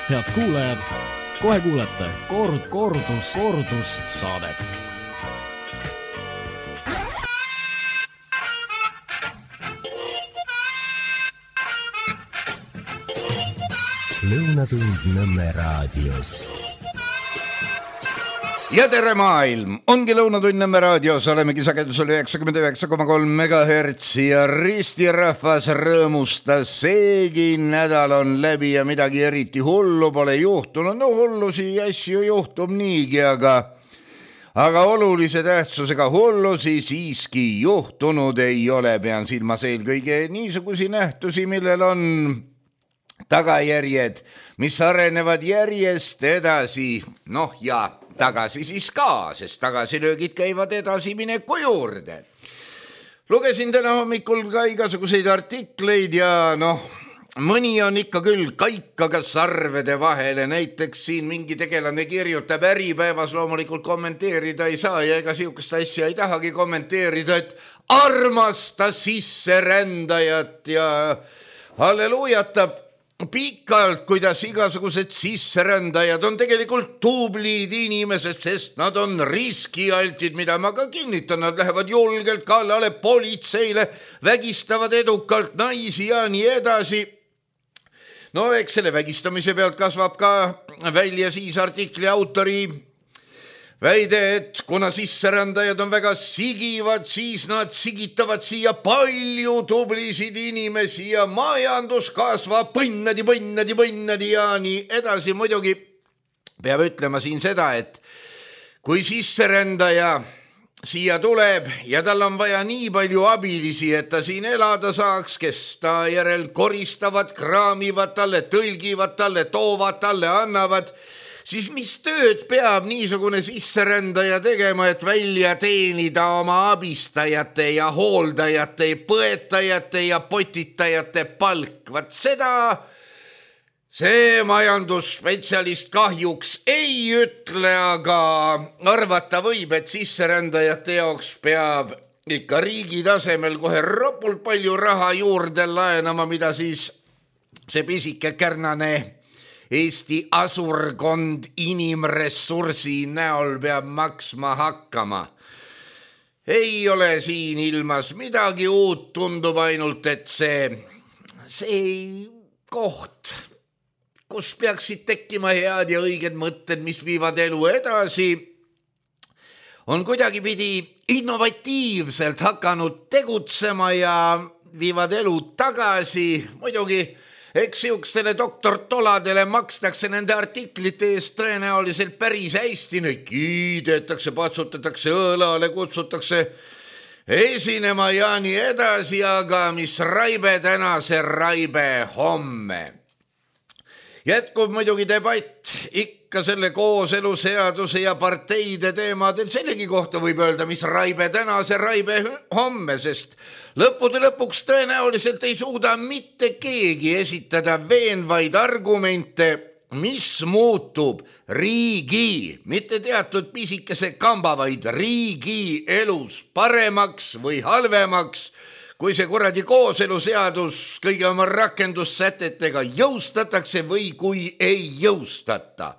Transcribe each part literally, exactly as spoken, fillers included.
Head kuulajad, kohe kuulete kord, kordus, kordus saadet. Lõunatund Nõmme raadios. Ja tere maailm! Ongi Lõunatund Nõmme raadios, olemegi sagedusel üheksakümmend üheksa koma kolm megahertsi ja ristirahvas rõõmustas. Seegi nädal on läbi ja midagi eriti hullu pole juhtunud. No hullusi asju juhtub niigi, aga, aga olulise tähtsusega hullusi siiski juhtunud ei ole. Pean silmas eelkõige niisugusi nähtusi, millel on tagajärjed, mis arenevad järjest edasi. Noh ja tagasi siis ka, sest tagasilöögid käivad edasi mineku juurde. Lugesin täna hommikul ka igasuguseid artikleid ja noh, mõni on ikka küll kaikaga sarvede vahele. Näiteks siin mingi tegelane kirjutab Äripäevas, loomulikult kommenteerida ei saa ja ega siukest asja ei tahagi kommenteerida, et armasta sisserändajat ja halleluujatab pikalt, kuidas igasugused sisserändajad on tegelikult tublid inimesed, sest nad on riskialtid, mida ma ka kinnitan, nad lähevad julgelt kallale politseile, vägistavad edukalt naisi ja nii edasi. No eks selle vägistamise pealt kasvab ka välja siis artikli autori väide, et kuna sisserändajad on väga sigivad, siis nad sigitavad siia palju tublisid inimesi ja majandus kasvab põnnadi, põnnadi, põnnadi ja nii edasi. Muidugi peab ütlema siin seda, et kui sisserändaja siia tuleb ja tal on vaja nii palju abilisi, et ta siin elada saaks, kes ta järel koristavad, kraamivad talle, tõlgivad talle, toovad talle, annavad, siis mis tööd peab niisugune sisserändaja tegema, et välja teenida oma abistajate ja hooldajate, põetajate ja potitajate palk? Vat seda see majandusspetsialist kahjuks ei ütle, aga arvata võib, et sisserändajate jaoks peab ikka riigi tasemel kohe ropult palju raha juurde laenama, mida siis see pisike kärnane Eesti asurkond inimressursi näol peab maksma hakkama. Ei ole siin ilmas midagi uut, tundub ainult, et see, see koht, kus peaksid tekkima head ja õiged mõtted, mis viivad elu edasi, on kuidagi pidi innovatiivselt hakanud tegutsema ja viivad elu tagasi. Muidugi eks siukestele doktor Toladele makstakse nende artiklite eest tõenäoliselt päris hästi, neid kiidetakse, patsutatakse õlale, kutsutakse esinema ja nii edasi, aga mis raibe täna, see raibe homme. Jätkub muidugi debatt ikka selle kooseluseaduse ja parteide teemadel. Sellegi kohta võib öelda, mis raibe täna, see raibe homme, sest lõppude lõpuks tõenäoliselt ei suuda mitte keegi esitada veenvaid argumente, mis muutub riigi, mitte teatud pisikese kamba, vaid riigi elus paremaks või halvemaks, kui see kuradi kooseluseadus kõige oma rakendussätetega jõustatakse või kui ei jõustata.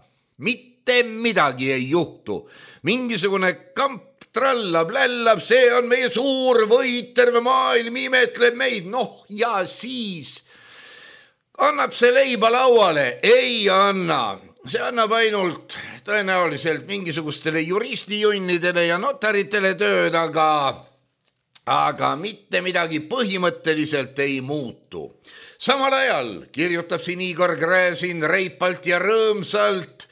Mitte midagi ei juhtu. Mingisugune kamp trallab, lällab, see on meie suur võit, terve maailm imetleb meid. Noh ja siis annab see leiba lauale, ei anna. See annab ainult tõenäoliselt mingisugustele juristijunnidele ja notaritele tööd, aga aga mitte midagi põhimõtteliselt ei muutu. Samal ajal kirjutab siin Igor Gräzin reipalt ja rõõmsalt,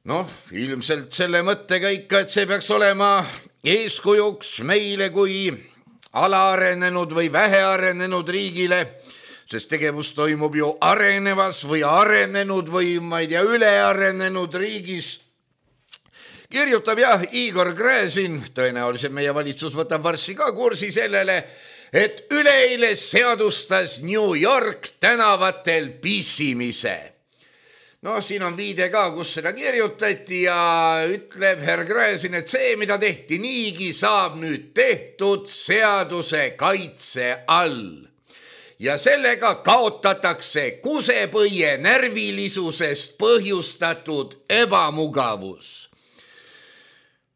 noh, ilmselt selle mõttega ikka, et see peaks olema eeskujuks meile kui alaarenenud või vähearenenud riigile, sest tegevus toimub ju arenevas või arenenud või ma ei tea, ülearenenud riigis. Kirjutab jah Igor Gräzin, tõenäoliselt meie valitsus võtab varsti ka kursi sellele, et üleeile seadustas New York tänavatel pissimise. No siin on viide ka, kus seda kirjutati ja ütleb herr Gräzin, et see, mida tehti niigi, saab nüüd tehtud seaduse kaitse all. ja sellega kaotatakse kusepõie närvilisusest põhjustatud ebamugavus.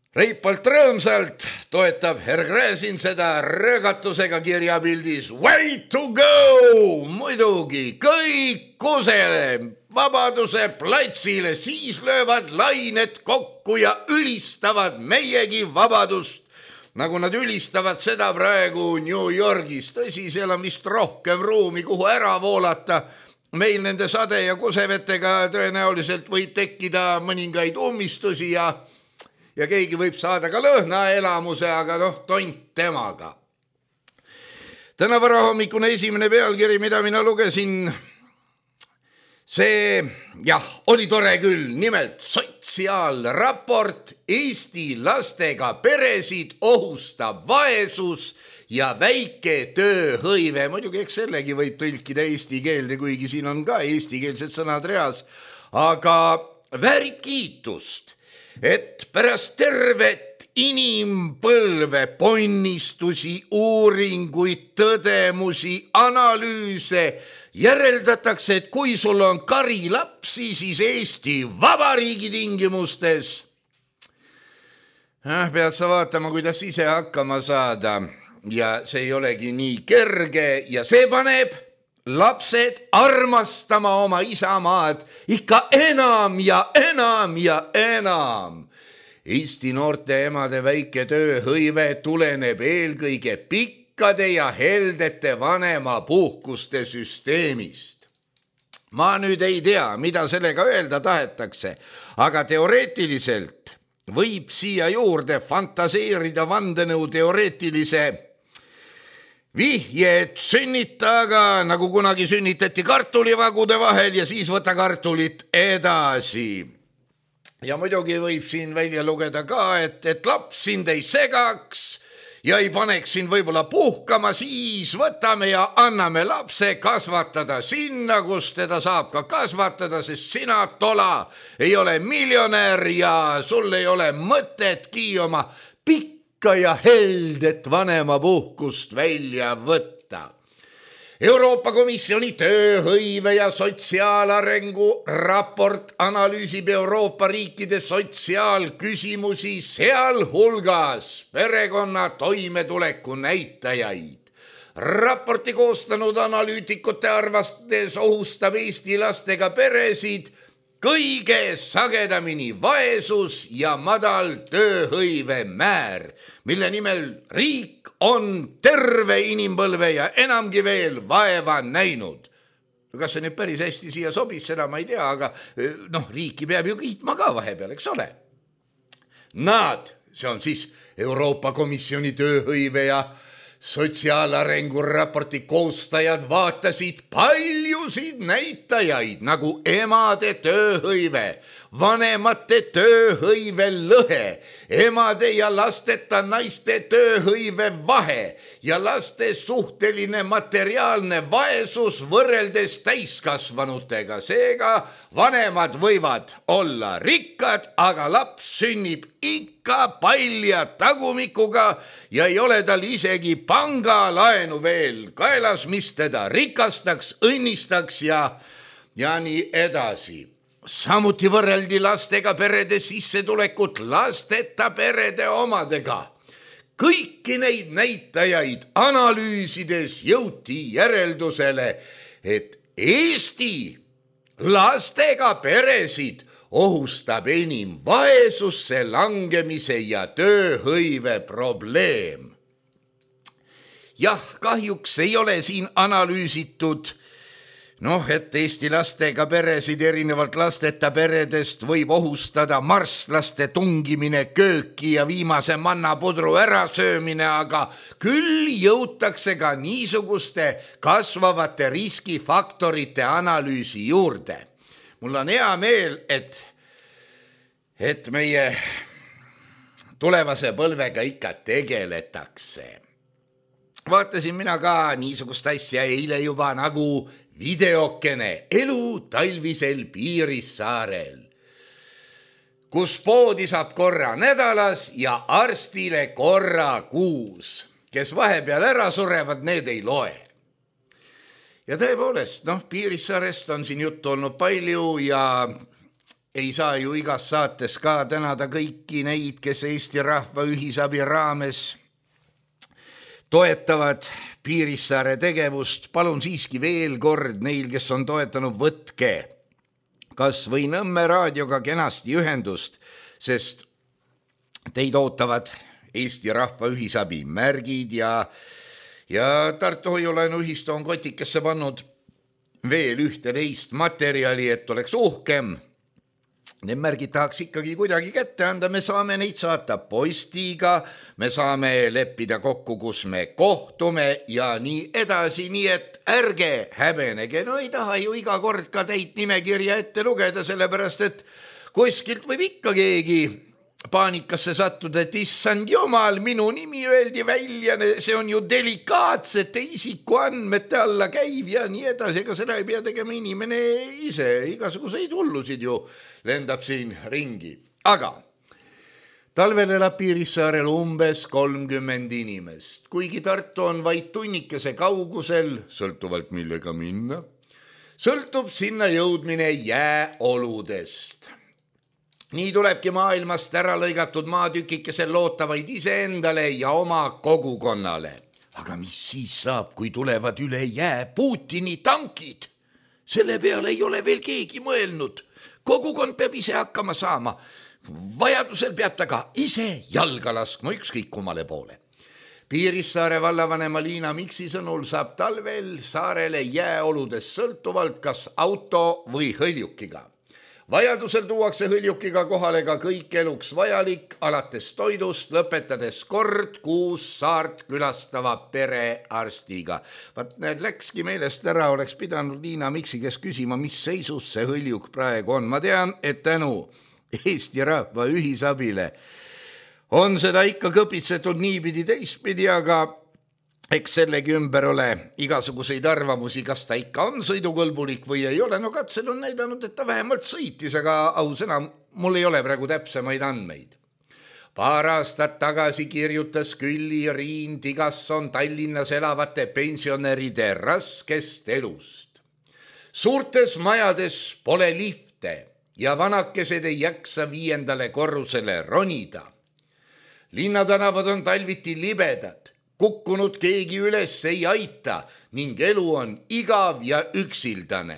Reipalt rõõmsalt toetab Herr Gräzin seda röögatusega kirjapildis Way to go! Muidugi kõik kusele Vabaduse platsile, siis löövad lained kokku ja ülistavad meiegi vabadust, nagu nad ülistavad seda praegu New Yorgis. Tõsi, seal on vist rohkem ruumi, kuhu ära voolata. Meil nende sade ja kusevetega tõenäoliselt võib tekkida mõningaid ummistusi ja ja keegi võib saada ka lõhnaelamuse, aga noh, tont temaga. Täna varahommikune esimene pealkiri, mida mina lugesin, see, jah, oli tore küll, nimelt sotsiaalraport Eesti lastega peresid ohustab vaesus ja väike tööhõive. Muidugi eks sellegi võib tõlkida eesti keelde, kuigi siin on ka eestikeelsed sõnad reas, aga väärib kiitust, et pärast tervet inimpõlve ponnistusi, uuringuid, tõdemusi, analüüse järeldatakse, et kui sul on kari lapsi, siis Eesti Vabariigi tingimustes äh, pead sa vaatama, kuidas ise hakkama saada ja see ei olegi nii kerge ja see paneb lapsed armastama oma isamaad ikka enam ja enam ja enam. Eesti noorte emade väike tööhõive tuleneb eelkõige pikkade ja heldete vanema puhkuste süsteemist. Ma nüüd ei tea, mida sellega öelda tahetakse, aga teoreetiliselt võib siia juurde fantaseerida vandenõu teoreetilise vihje, et sünnitaga, nagu kunagi sünnitati kartulivagude vahel ja siis võta kartulit edasi. Ja muidugi võib siin välja lugeda ka, et, et laps sind ei segaks ja ei paneks sind võib-olla puhkama, siis võtame ja anname lapse kasvatada sinna, kus teda saab ka kasvatada, sest sina, tola, ei ole miljonär ja sul ei ole mõtetki oma pikk ja heldet vanema puhkust välja võtta. Euroopa Komisjoni tööhõive ja sotsiaalarengu raport analüüsib Euroopa riikide sotsiaalküsimusi, sealhulgas perekonna toimetuleku näitajaid. Raporti koostanud analüütikute arvates ohustab Eesti lastega peresid kõige sagedamini vaesus ja madal tööhõive määr, mille nimel riik on terve inimpõlve ja enamgi veel vaeva näinud. Kas see nüüd päris hästi siia sobis, seda ma ei tea, aga noh, riiki peab ju kiitma ka vahepeal, eks ole. Nad, see on siis Euroopa Komisjoni tööhõive ja sotsiaalarengu raporti koostajad vaatasid paljusid näitajaid nagu emade tööhõive, vanemate tööhõive lõhe, emade ja lasteta naiste tööhõive vahe ja laste suhteline materiaalne vaesus võrreldes täiskasvanutega. Seega vanemad võivad olla rikkad, aga laps sünnib ikka palja tagumikuga ja ei ole tal isegi pangalaenu veel kaelas, mis teda rikastaks, õnnistaks ja, ja nii edasi. Samuti võrreldi lastega perede sissetulekut lasteta perede omadega. Kõiki neid näitajaid analüüsides jõuti järeldusele, et Eesti lastega peresid ohustab enim vaesusse langemise ja tööhõive probleem. Jah, kahjuks ei ole siin analüüsitud, noh, et Eesti lastega peresid erinevalt lasteta peredest võib ohustada marslaste tungimine kööki ja viimase mannapudru ärasöömine, aga küll jõutakse ka niisuguste kasvavate riskifaktorite analüüsi juurde. Mul on hea meel, et, et meie tulevase põlvega ikka tegeletakse. Vaatasin mina ka niisugust asja eile juba nagu videokene elu talvisel Piirissaarel, kus poodi saab korra nädalas ja arstile korra kuus. Kes vahepeal ära surevad, need ei loe. ja tõepoolest, noh, Piirissaarest on siin juttu olnud palju ja ei saa ju igas saates ka tänada kõiki neid, kes Eesti Rahva Ühisabi raames toetavad Piirissaare tegevust. Palun siiski veel kord neil, kes on toetanud, võtke kas või Nõmme raadioga kenasti ühendust, sest teid ootavad Eesti Rahva Ühisabi märgid ja, ja Tartu Hoiulaenuühistu on kotikesse pannud veel ühte teist materjali, et oleks uhkem. Need märgid tahaks ikkagi kuidagi kätte anda, me saame neid saata postiga, me saame leppida kokku, kus me kohtume ja nii edasi, nii et ärge häbenege, no ei taha ju iga kord ka teid nimekirja ette lugeda, sellepärast et kuskilt võib ikka keegi paanikasse sattuda, et issand jumal, minu nimi öeldi välja, see on ju delikaatsete isikuandmete alla käiv ja nii edasi, ega seda ei pea tegema inimene ise, igasuguseid hullusid ju lendab siin ringi. Aga talvel elab Piirissaarel umbes kolmkümmend inimest, kuigi Tartu on vaid tunnikese kaugusel, sõltuvalt millega minna, sõltub sinna jõudmine jääoludest. Nii tulebki maailmast ära lõigatud maatükikesel lootavaid iseendale ja oma kogukonnale. Aga mis siis saab, kui tulevad üle jää Putini tankid? Selle peale ei ole veel keegi mõelnud. Kogukond peab ise hakkama saama. Vajadusel peab ta ka ise jalga laskma ükskõik kummale poole. Piirissaare vallavanema Liina Miksi sõnul saab talvel saarele jääoludest sõltuvalt kas auto või hõljukiga. Vajadusel tuuakse hõljukiga kohale ka kõik eluks vajalik, alates toidust, lõpetades kord kuus saart külastava perearstiga. Vaat need läkski meelest ära, oleks pidanud Liina Miksi kes küsima, mis seisus see hõljuk praegu on. Ma tean, et tänu Eesti Rahva Ühisabile on seda ikka kõpitsetud niipidi teistpidi, aga eks sellegi ümber ole igasuguseid arvamusi, kas ta ikka on sõidukõlbulik või ei ole. No katsel on näidanud, et ta vähemalt sõitis, aga ausõna, mul ei ole praegu täpsemaid andmeid. Paar aastat tagasi kirjutas Külli Riin Tigasson Tallinnas elavate pensionäride raskest elust. Suurtes majades pole lifte ja vanakesed ei jaksa viiendale korrusele ronida. Linnatänavad on talviti libedad. Kukkunud keegi üles ei aita ning elu on igav ja üksildane.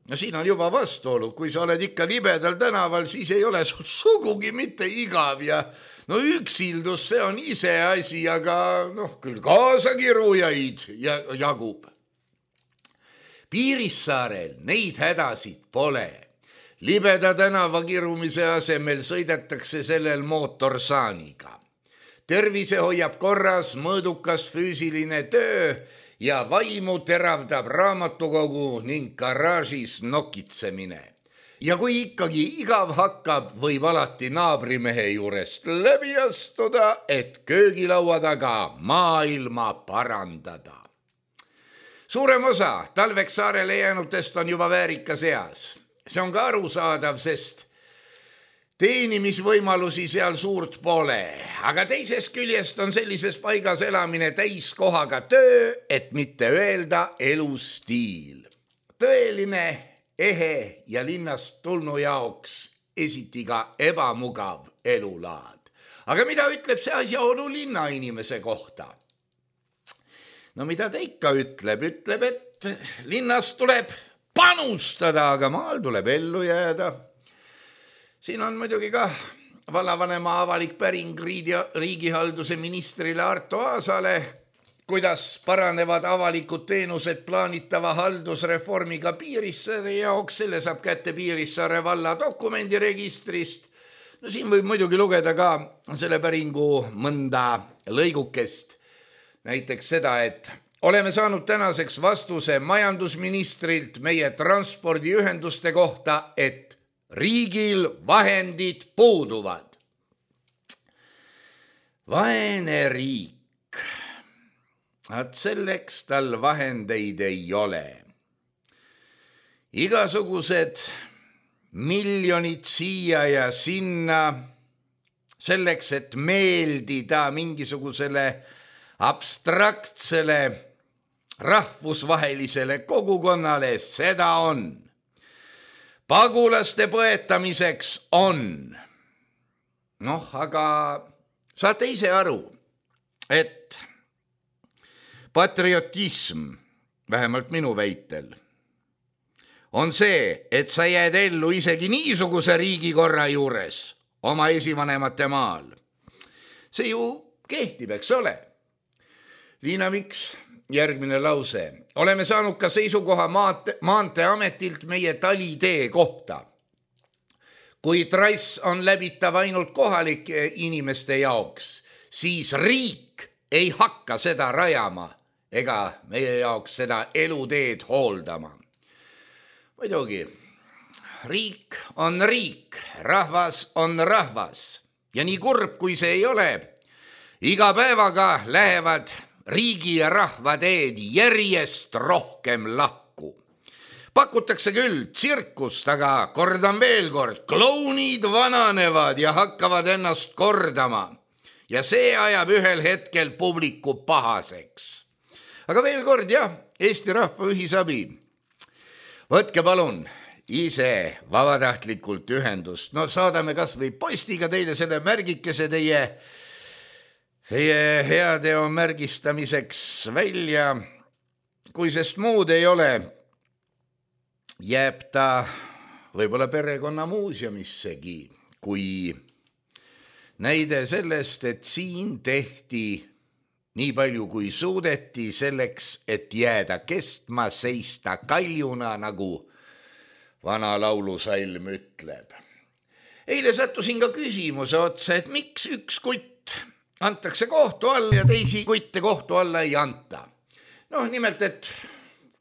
No siin on juba vastuolu, kui sa oled ikka libedal tänaval, siis ei ole sul sugugi mitte igav ja no üksildus, see on ise asi, aga noh, küll kaasakirujaid ja jagub. Piirissaarel neid hädasid pole. Libeda tänava kirumise asemel sõidetakse sellel mootorsaaniga. Tervise hoiab korras mõõdukas füüsiline töö ja vaimu teravdab raamatukogu ning garaažis nokitsemine. Ja kui ikkagi igav hakkab, võib alati naabrimehe juurest läbi astuda, et köögilaua taga maailma parandada. Suurem osa talveks saarele jäänutest on juba väärika seas. See on ka arusaadav, sest teenimisvõimalusi seal suurt pole, aga teisest küljest on sellises paigas elamine täiskohaga töö, et mitte öelda elustiil. Tõeline, ehe ja linnast tulnu jaoks esiti ka ebamugav elulaad. Aga mida ütleb see asjaolu linna inimese kohta? No mida ta ikka ütleb? Ütleb, et linnas tuleb panustada, aga maal tuleb ellu jääda. Siin on muidugi ka vallavanema avalik päring riigihalduse ministrile Arto Aasale, kuidas paranevad avalikud teenused plaanitava haldusreformiga Piirissaare jaoks, selle saab kätte Piirissaare valla dokumendiregistrist. No siin võib muidugi lugeda ka selle päringu mõnda lõigukest, näiteks seda, et oleme saanud tänaseks vastuse majandusministrilt meie transpordiühenduste kohta, et riigil vahendid puuduvad. Vaene riik. At selleks tal vahendeid ei ole. Igasugused miljonid siia ja sinna selleks, et meeldida mingisugusele abstraktsele rahvusvahelisele kogukonnale, seda on. Pagulaste põetamiseks on. Noh, aga saate ise aru, et patriotism, vähemalt minu väitel, on see, et sa jääd ellu isegi niisuguse riigikorra juures oma esivanemate maal. See ju kehtib, eks ole. Liina Miks, järgmine lause. Oleme saanud ka seisukoha maante, maanteeametilt meie talitee kohta. Kui trass on läbitav ainult kohalike inimeste jaoks, siis riik ei hakka seda rajama ega meie jaoks seda eluteed hooldama. Muidugi, riik on riik, rahvas on rahvas ja nii kurb, kui see ei ole, iga päevaga lähevad riigi ja rahva teed järjest rohkem lahku. Pakutakse küll tsirkust, aga kordan veel kord, klounid vananevad ja hakkavad ennast kordama ja see ajab ühel hetkel publiku pahaseks. Aga veel kord, jah, Eesti Rahva Ühisabi. Võtke palun ise vabatahtlikult ühendust. No saadame kas või postiga teile selle märgikese teie, teie heateo märgistamiseks välja. Kui sest muud ei ole, jääb ta võib-olla perekonna muuseumissegi, kui näide sellest, et siin tehti nii palju kui suudeti selleks, et jääda kestma, seista kaljuna, nagu vana laulusalm ütleb. Eile sattusin ka küsimuse otsa, et miks üks kutt antakse kohtu alla ja teisi kutte kohtu alla ei anta. Noh, nimelt, et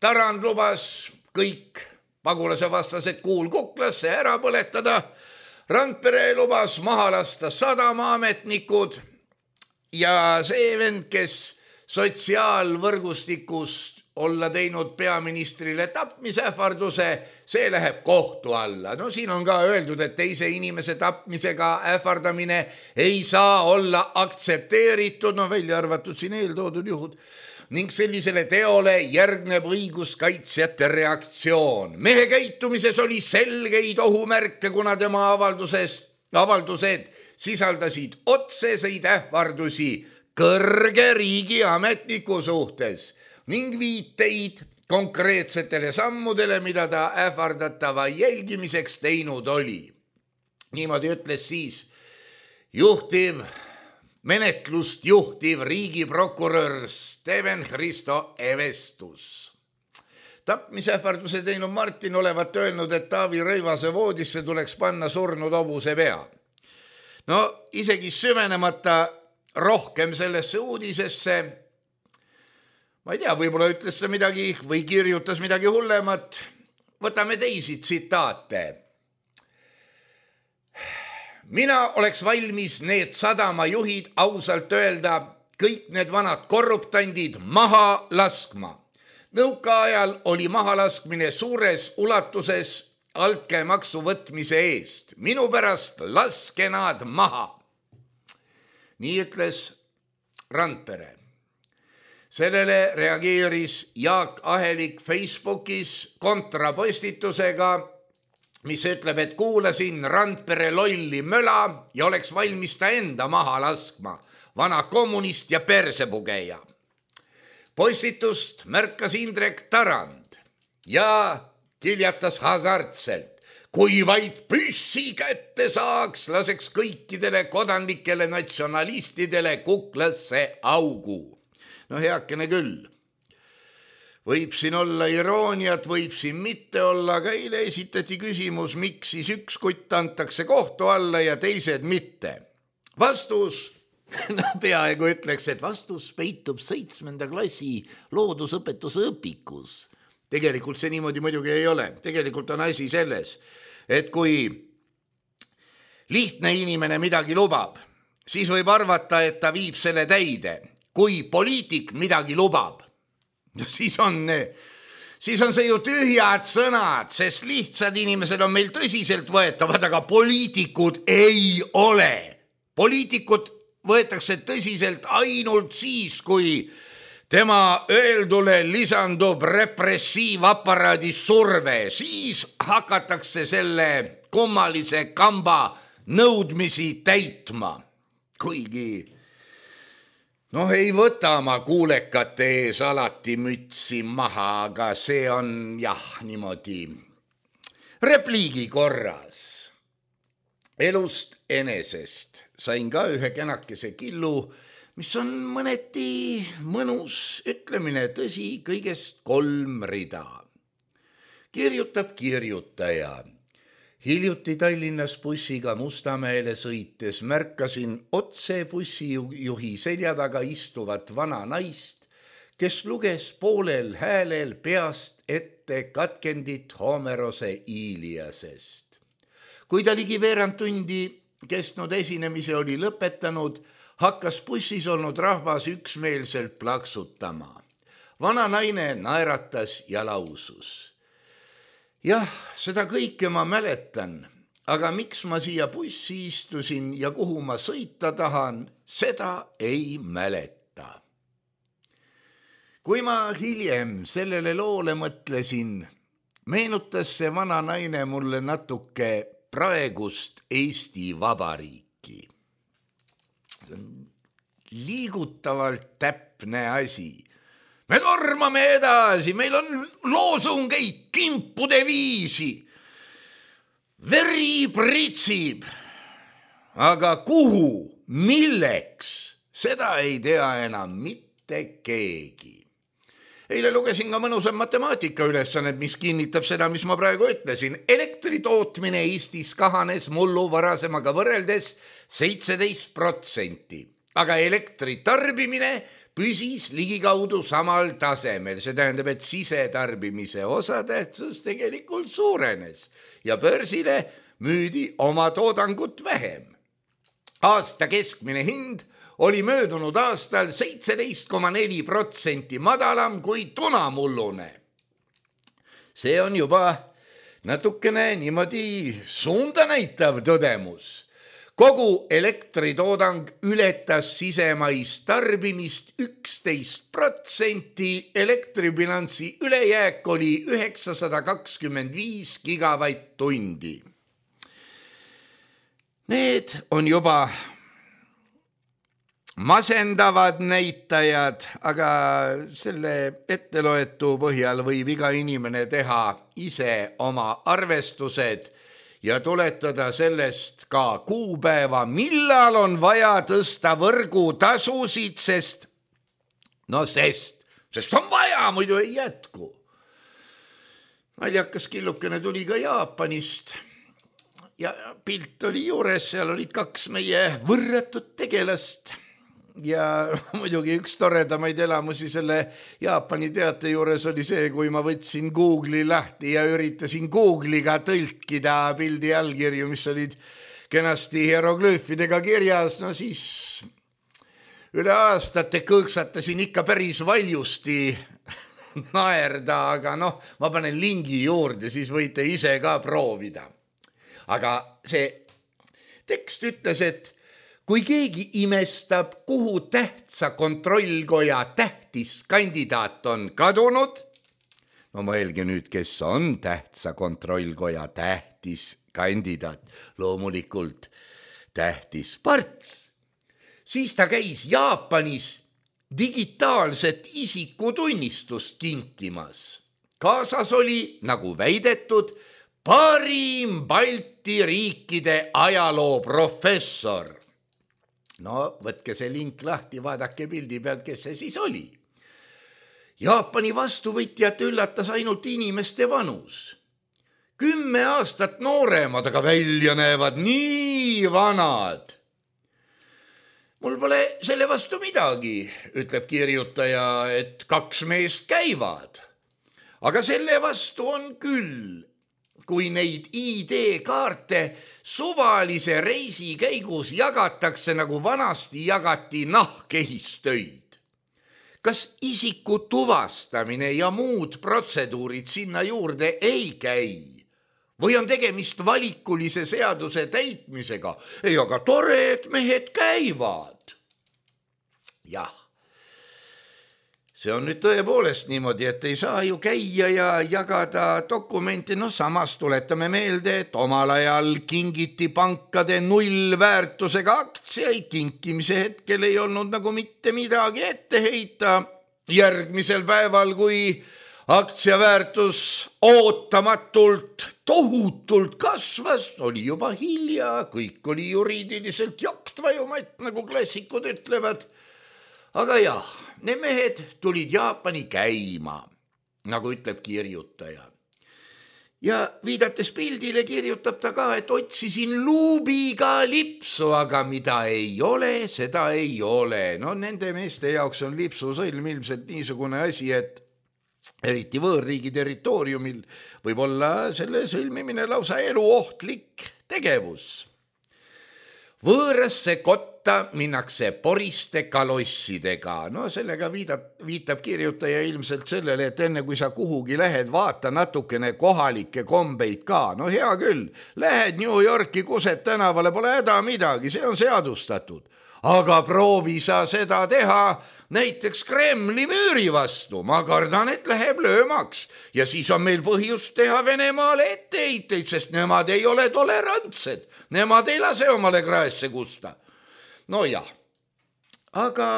Tarand lubas kõik pagulase vastased kuulkuklasse ära põletada, Randpere lubas maha lasta sadamaametnikud ja see vend, kes sotsiaalvõrgustikust olla teinud peaministrile tapmisähvarduse, see läheb kohtu alla. No siin on ka öeldud, et teise inimese tapmisega ähvardamine ei saa olla aktsepteeritud, no välja arvatud siin eeltoodud juhud, ning sellisele teole järgneb õiguskaitsjate reaktsioon. Mehe käitumises oli selgeid ohumärke, kuna tema avaldusest, avaldused sisaldasid otseseid ähvardusi kõrge riigiametniku suhtes ning viiteid konkreetsetele sammudele, mida ta ähvardatava jälgimiseks teinud oli. Niimoodi ütles siis juhtiv, menetlust juhtiv riigiprokurör Steven Hristo Evestus. Tapmisähvarduse teinud Martin olevat öelnud, et Taavi Rõivase voodisse tuleks panna surnud hobuse pea. No isegi süvenemata rohkem sellesse uudisesse, ma ei tea, võib-olla ütles see midagi või kirjutas midagi hullemat. Võtame teisi tsitaate. Mina oleks valmis need sadamajuhid ausalt öelda kõik need vanad korruptandid maha laskma. Nõukaajal oli mahalaskmine suures ulatuses altkäemaksu võtmise eest. Minu pärast laske nad maha. Nii ütles Randpere. Sellele reageeris Jaak Ahelik Facebookis kontrapostitusega, mis ütleb, et kuulasin Randpere lolli möla ja oleks valmis ta enda maha laskma. Vana kommunist ja persepugeja. Postitust märkas Indrek Tarand ja kiljatas hasartselt. Kui vaid püssi kätte saaks, laseks kõikidele kodanlikele natsionalistidele kuklasse augu. No heakene küll. Võib siin olla irooniat, võib siin mitte olla, aga eile esitati küsimus, miks siis üks kutt antakse kohtu alla ja teised mitte. Vastus, no peaaegu ütleks, et vastus peitub seitsmenda klassi loodusõpetuse õpikus. Tegelikult see niimoodi muidugi ei ole. Tegelikult on asi selles, et kui lihtne inimene midagi lubab, siis võib arvata, et ta viib selle täide. Kui poliitik midagi lubab, siis on, siis on see ju tühjad sõnad, sest lihtsad inimesed on meil tõsiselt võetavad, aga poliitikud ei ole. Poliitikud võetakse tõsiselt ainult siis, kui tema öeldule lisandub repressiivaparaadi surve, siis hakatakse selle kummalise kamba nõudmisi täitma. Kuigi, noh, ei võta ma kuulekate ees alati mütsi maha, aga see on jah, niimoodi repliigi korras. Elust enesest sain ka ühe kenakese killu, mis on mõneti mõnus ütlemine, tõsi, kõigest kolm rida. Kirjutab kirjutaja. Hiljuti Tallinnas bussiga Mustamäele sõites märkasin otse bussijuhi selja taga istuvat vana naist, kes luges poolel häälel peast ette katkendit Homerose Iliasest. Kui ta ligi veerand tundi kestnud esinemise oli lõpetanud, hakkas bussis olnud rahvas üksmeelselt plaksutama. Vana naine naeratas ja lausus. Jah, seda kõike ma mäletan, aga miks ma siia bussi istusin ja kuhu ma sõita tahan, seda ei mäleta. Kui ma hiljem sellele loole mõtlesin, meenutas see vana naine mulle natuke praegust Eesti Vabariiki. See on liigutavalt täpne asi. Me tormame edasi, meil on loosungeid kimpude viisi. Veri pritsib. Aga kuhu, milleks, seda ei tea enam mitte keegi. Eile lugesin ka mõnusa matemaatika ülesannet, mis kinnitab seda, mis ma praegu ütlesin. Elektri tootmine Eestis kahanes mullu varasemaga võrreldes seitseteist protsenti, aga elektri tarbimine püsis ligikaudu samal tasemel. See tähendab, et sisetarbimise osatähtsus tegelikult suurenes ja börsile müüdi oma toodangut vähem. Aasta keskmine hind oli möödunud aastal seitseteist koma neli protsenti madalam kui tunamullune. See on juba natukene niimoodi suunda näitav tõdemus. Kogu elektritoodang ületas sisemaist tarbimist üksteist protsenti, elektribilansi ülejääk oli üheksasada kakskümmend viis gigavatt-tundi. Need on juba masendavad näitajad, aga selle etteloetu põhjal võib iga inimene teha ise oma arvestused ja tuletada sellest ka kuupäeva, millal on vaja tõsta võrgutasusid, sest, no sest, sest on vaja, muidu ei jätku. Naljakas killukene tuli ka Jaapanist ja pilt oli juures, seal olid kaks meie võrratut tegelast. Ja muidugi üks toredamaid elamusi selle Jaapani teate juures oli see, kui ma võtsin Google'i lahti ja üritasin Google'iga tõlkida pildi allkirju, mis olid kenasti hieroglüüfidega kirjas, no siis üle aastate kõõksatasin ikka päris valjusti naerda, aga noh, ma panen lingi juurde, siis võite ise ka proovida. Aga see tekst ütles, et kui keegi imestab, kuhu tähtsa kontrollkoja tähtis kandidaat on kadunud, no mõelge nüüd, kes on tähtsa kontrollkoja tähtis kandidaat, loomulikult tähtis Parts, siis ta käis Jaapanis digitaalset isikutunnistust kinkimas. Kaasas oli, nagu väidetud, parim Balti riikide ajaloo professor. No võtke see link lahti, vaadake pildi pealt, kes see siis oli. Jaapani vastuvõtjat üllatas ainult inimeste vanus. Kümme aastat nooremad, aga välja näevad nii vanad. Mul pole selle vastu midagi, ütleb kirjutaja, et kaks meest käivad. Aga selle vastu on küll. Kui neid I D-kaarte suvalise reisi käigus jagatakse, nagu vanasti jagati nahkehistöid. Kas isiku tuvastamine ja muud protseduurid sinna juurde ei käi? Või on tegemist valikulise seaduse täitmisega? Ei, aga tore, et mehed käivad. Jah. see on nüüd tõepoolest niimoodi, et ei saa ju käia ja jagada dokumenti, no samas tuletame meelde, et omal ajal kingiti pankade nullväärtusega aktsiaid, kinkimise hetkel ei olnud nagu mitte midagi ette heita. Järgmisel päeval, kui aktsiaväärtus ootamatult, tohutult kasvas, oli juba hilja, kõik oli juriidiliselt jaktvajumat, nagu klassikud ütlevad. Aga jah, need mehed tulid Jaapani käima, nagu ütleb kirjutaja. Ja viidates pildile kirjutab ta ka, et otsisin luubiga lipsu, aga mida ei ole, seda ei ole. No nende meeste jaoks on lipsusõlm ilmselt niisugune asi, et eriti võõrriigi territooriumil võib olla selle sõlmimine lausa eluohtlik tegevus. Võõrasse kotta minnakse poriste kalossidega. No sellega viitab, viitab kirjutaja ilmselt sellele, et enne kui sa kuhugi lähed, vaata natukene kohalikke kombeid ka. No hea küll, lähed New Yorki Kuset tänavale, pole häda midagi, see on seadustatud. Aga proovi sa seda teha näiteks Kremli müüri vastu. Ma kardan, et läheb löömaks. Ja siis on meil põhjust teha Venemaale etteheiteid, sest nemad ei ole tolerantsed. Nemad ei lase omale kraesse kusta. No jah, aga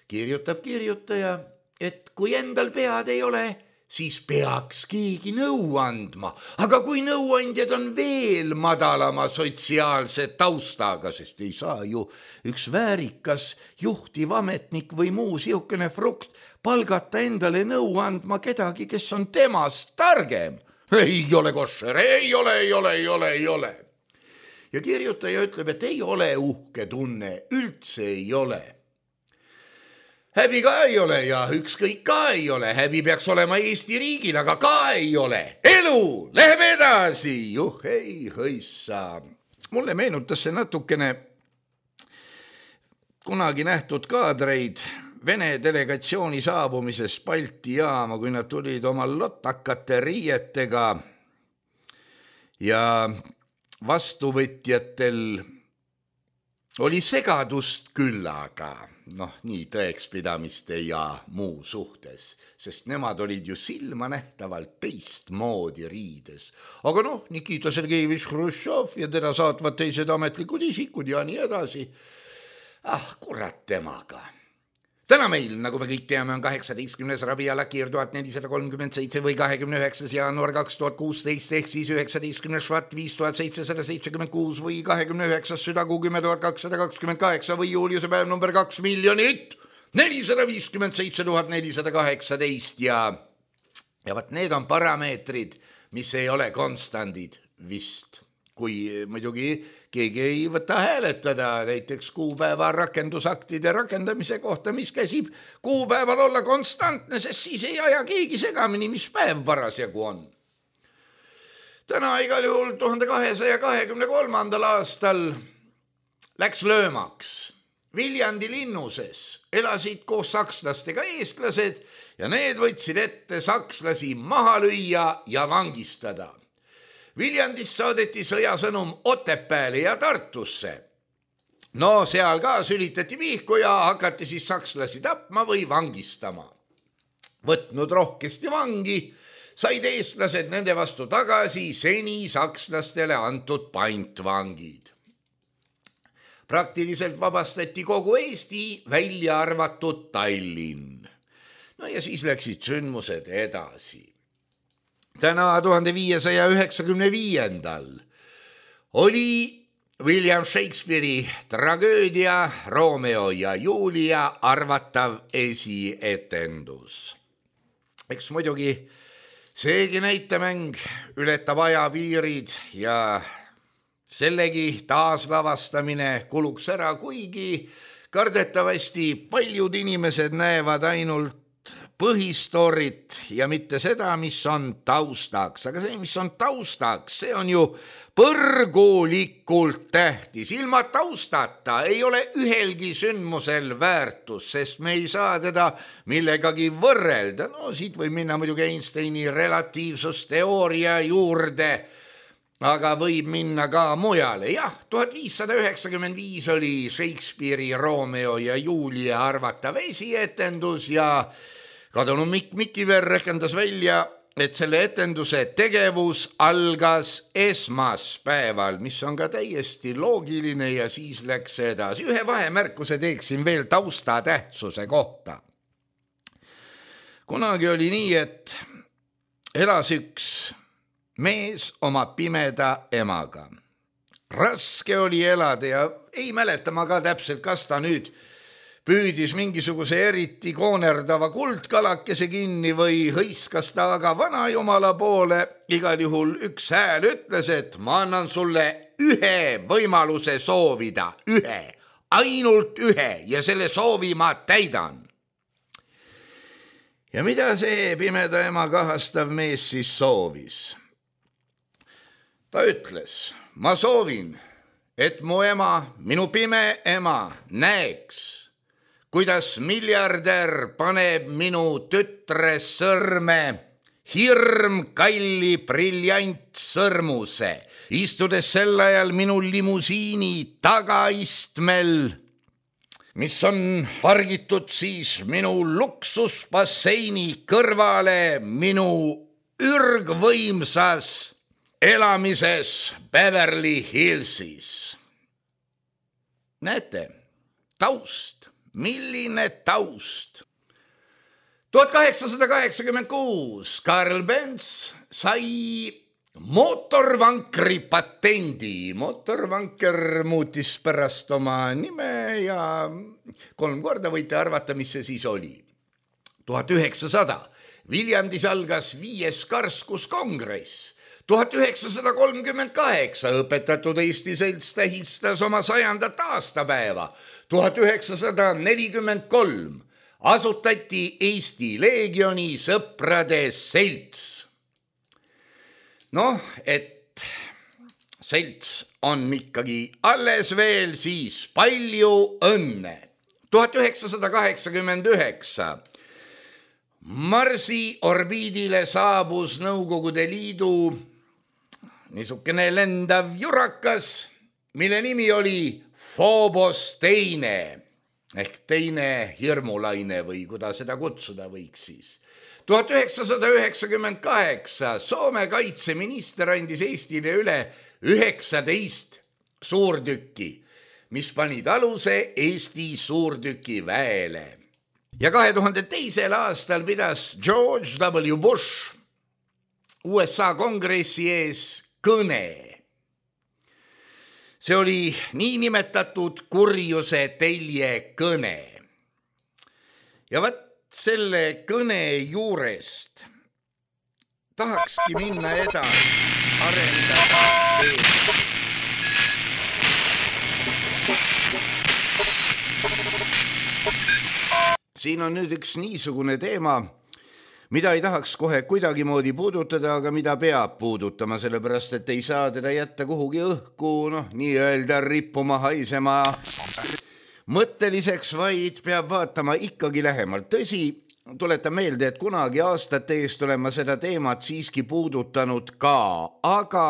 kirjutab kirjutaja, et kui endal pead ei ole, siis peaks keegi nõu andma. Aga kui nõuandjad on veel madalama sotsiaalse taustaga, sest ei saa ju üks väärikas juhtiv ametnik või muu siukene frukt palgata endale nõu andma kedagi, kes on temast targem. Ei ole košer, ei ole, ei ole, ei ole, ei ole. Ja kirjutaja ütleb, et ei ole uhke tunne, üldse ei ole. Häbi ka ei ole ja ükskõik ka ei ole. Häbi peaks olema Eesti riigil, aga ka ei ole. Elu läheb edasi. Juh, ei hõissa. Mulle meenutas see natukene kunagi nähtud kaadreid Vene delegatsiooni saabumises Balti jaama, kui nad tulid oma lotakate riietega ja vastuvõtjatel oli segadust küllaga, noh nii tõekspidamiste ja muu suhtes, sest nemad olid ju silmanähtavalt teistmoodi riides. Aga noh, Nikita Sergejevich Hruštšov ja teda saatvad teised ametlikud isikud ja nii edasi. Ah, kurat temaga. Täna meil, nagu me kõik teame, on kaheksateistkümnes Rabi'a Lakir tuhat nelisada kolmkümmend seitse või kahekümne üheksas jaanuar kaks tuhat kuusteist ehk siis üheksateistkümnes Švat viis tuhat seitsesada seitsekümmend kuus või kahekümne üheksas Südakuu kümme tuhat kakssada kakskümmend kaheksa või juuliuse päev number kaks miljonit nelisada viiskümmend seitse tuhat nelisada kaheksateist ja ja vat need on parameetrid, mis ei ole konstandid vist. Kui muidugi keegi ei võta hääletada näiteks kuupäeva rakendusaktide rakendamise kohta, mis käsib kuupäeval olla konstantne, sest siis ei aja keegi segamini, mis päev parasjagu on. Täna igal juhul tuhande kahesaja kahekümne kolmandal aastal läks löömaks. Viljandi linnuses elasid koos sakslastega eestlased ja need võtsid ette sakslasi maha lüüa ja vangistada. Viljandist saadeti sõjasõnum Otepääle ja Tartusse. No seal ka sülitati pihku ja hakati siis sakslasi tapma või vangistama. Võtnud rohkesti vangi, said eestlased nende vastu tagasi seni sakslastele antud pantvangid. Praktiliselt vabastati kogu Eesti, välja arvatud Tallinn. No ja siis läksid sündmused edasi. Täna tuhande viiesaja üheksakümne viiendal oli William Shakespeare'i tragöödia Romeo ja Julia arvatav esietendus. Eks muidugi seegi näitemäng ületab ajapiirid ja sellegi taaslavastamine kuluks ära, kuigi kardetavasti paljud inimesed näevad ainult põhistoorit ja mitte seda, mis on taustaks. Aga see, mis on taustaks, see on ju põrgulikult tähtis. Ilma taustata ei ole ühelgi sündmusel väärtus, sest me ei saa teda millegagi võrrelda. No siit võib minna muidugi Einsteini relatiivsusteooria juurde, aga võib minna ka mujale. Jah, tuhat viissada üheksakümmend viis oli Shakespeare'i Romeo ja Julia arvatav esietendus ja kadunud Mikk Mikiver rehkendas välja, et selle etenduse tegevus algas esmaspäeval, mis on ka täiesti loogiline ja siis läks edasi. Ühe vahemärkuse teeksin veel tausta tähtsuse kohta. Kunagi oli nii, et elas üks mees oma pimeda emaga. Raske oli elada ja ei mäleta ma ka täpselt, kas ta nüüd püüdis mingisuguse eriti koonerdava kuldkalakese kinni või hõiskas ta aga vanajumala poole. Igal juhul üks hääl ütles, et ma annan sulle ühe võimaluse soovida, ühe, ainult ühe ja selle soovi ma täidan. Ja mida see pimeda ema kahastav mees siis soovis? Ta ütles, ma soovin, et mu ema, minu pime ema näeks, kuidas miljardär paneb minu tütre sõrme hirm kalli briljant sõrmuse, istudes sel ajal minu limusiini tagaistmel, mis on pargitud siis minu luksusbasseini kõrvale minu ürgvõimsas elamises Beverly Hillsis. Näete, taust, milline taust. tuhat kaheksasada kaheksakümmend kuus Karl Benz sai mootorvankri patendi. Mootorvanker muutis pärast oma nime ja kolm korda võite arvata, mis see siis oli. tuhat üheksasada Viljandis algas viies karskuskongress. tuhat üheksasada kolmkümmend kaheksa õpetatud Eesti selts tähistas oma sajandat aastapäeva. tuhat üheksasada nelikümmend kolm asutati Eesti Leegioni sõprade selts. Noh, et selts on ikkagi alles veel, siis palju õnne. tuhat üheksasada kaheksakümmend üheksa Marsi orbiidile saabus Nõukogude Liidu niisugune lendav jurakas, mille nimi oli Phobos teine ehk teine hirmulaine või kuidas seda kutsuda võiks siis. tuhat üheksasada üheksakümmend kaheksa Soome kaitseminister andis Eestile üle üheksateist suurtükki, mis panid aluse Eesti suurtükiväele. Ja kahe tuhande teisel aastal pidas George W. Bush U S A kongressi ees kõne. See oli niinimetatud kurjuse telje kõne. Ja võt selle kõne juurest tahakski minna edasi, arendada teed. Siin on nüüd üks niisugune teema, mida ei tahaks kohe kuidagimoodi puudutada, aga mida peab puudutama, sellepärast et ei saa teda jätta kuhugi õhku, noh, nii-öelda rippuma haisema mõtteliseks, vaid peab vaatama ikkagi lähemalt. Tõsi, tuletan meelde, et kunagi aastate eest olen ma seda teemat siiski puudutanud ka, aga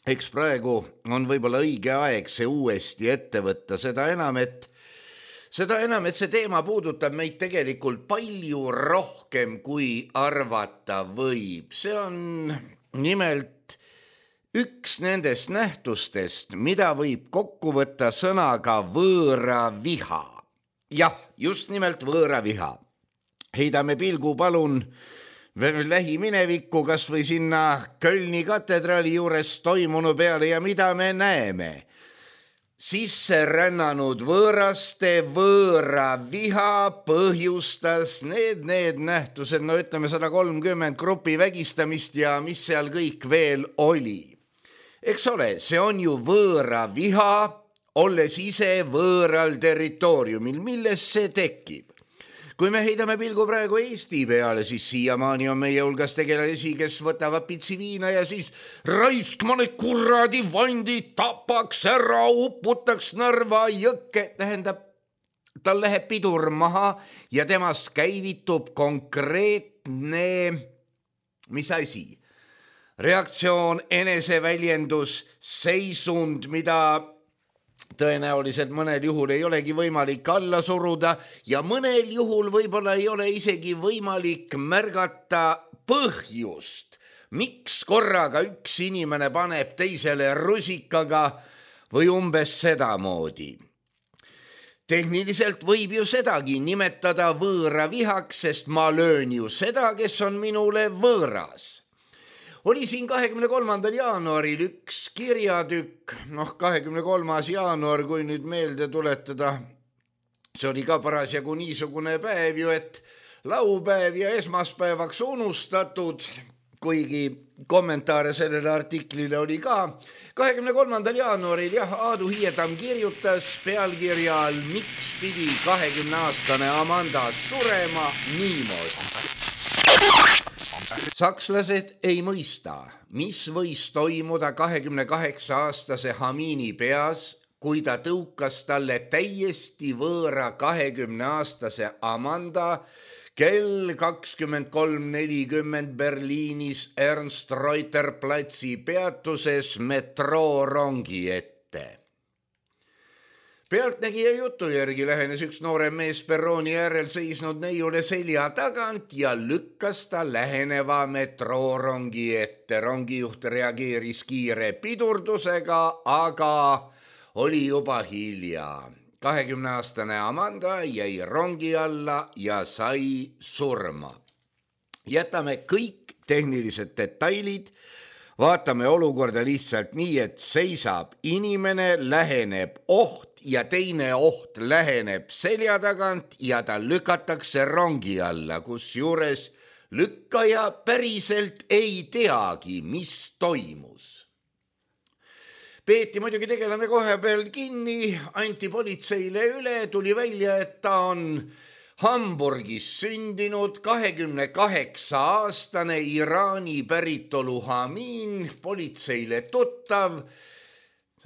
eks praegu on võib-olla õige aeg see uuesti ette võtta, seda enam, et Seda enam, et see teema puudutab meid tegelikult palju rohkem, kui arvata võib. See on nimelt üks nendest nähtustest, mida võib kokku võtta sõnaga võõra viha. Jah, just nimelt võõra viha. Heidame pilgu palun lähiminevikku, kas või sinna Kölni katedraali juures toimunu peale ja mida me näeme? Sisse rännanud võõraste võõra viha põhjustas need, need nähtused, no ütleme sada kolmkümmend grupi vägistamist ja mis seal kõik veel oli. Eks ole, see on ju võõra viha, olles ise võõral territooriumil, milles see tekib. Kui me heidame pilgu praegu Eesti peale, siis siiamaani on meie hulgas tegelasi, kes võtavad pitsi viina ja siis raisk ma need kurradi vandid tapaks ära, uputaks Narva jõkke. Tähendab, tal läheb pidur maha ja temast käivitub konkreetne, mis asi? reaktsioon, eneseväljendus, seisund, mida tõenäoliselt mõnel juhul ei olegi võimalik alla suruda ja mõnel juhul võib-olla ei ole isegi võimalik märgata põhjust, miks korraga üks inimene paneb teisele rusikaga või umbes sedamoodi. Tehniliselt võib ju sedagi nimetada võõra vihaks, sest ma löön ju seda, kes on minule võõras. Oli siin kahekümne kolmandal jaanuaril üks kirjatükk, noh kahekümne kolmas jaanuar, kui nüüd meelde tuletada, see oli ka parasjagu niisugune päev ju, et laupäev ja esmaspäevaks unustatud, kuigi kommentaare sellele artiklile oli ka. kahekümne kolmandal jaanuaril jah, Aadu Hiietamm kirjutas pealkirja all, miks pidi kahekümneaastane Amanda surema niimoodi. Sakslased ei mõista, mis võis toimuda kahekümne kaheksa aastase Hamini peas, kui ta tõukas talle täiesti võõra kahekümne aastase Amanda kell kakskümmend kolm nelikümmend Berliinis Ernst Reuter platsi peatuses metroorongi ette. Pealtnägija jutu järgi lähenes üks noorem mees perrooni äärel seisnud neiule selja tagant ja lükkas ta läheneva metroorongi ette. Rongijuht reageeris kiire pidurdusega, aga oli juba hilja. kahekümneaastane Amanda jäi rongi alla ja sai surma. Jätame kõik tehnilised detailid. Vaatame olukorda lihtsalt nii, et seisab inimene, läheneb oht ja teine oht läheneb selja tagant ja ta lükatakse rongi alla, kus juures lükkaja päriselt ei teagi, mis toimus. Peeti muidugi tegelane kohe peal kinni, anti politseile üle, tuli välja, et ta on Hamburgis sündinud kahekümne kaheksa aastane Iraani päritolu Hamin, politseile tuttav.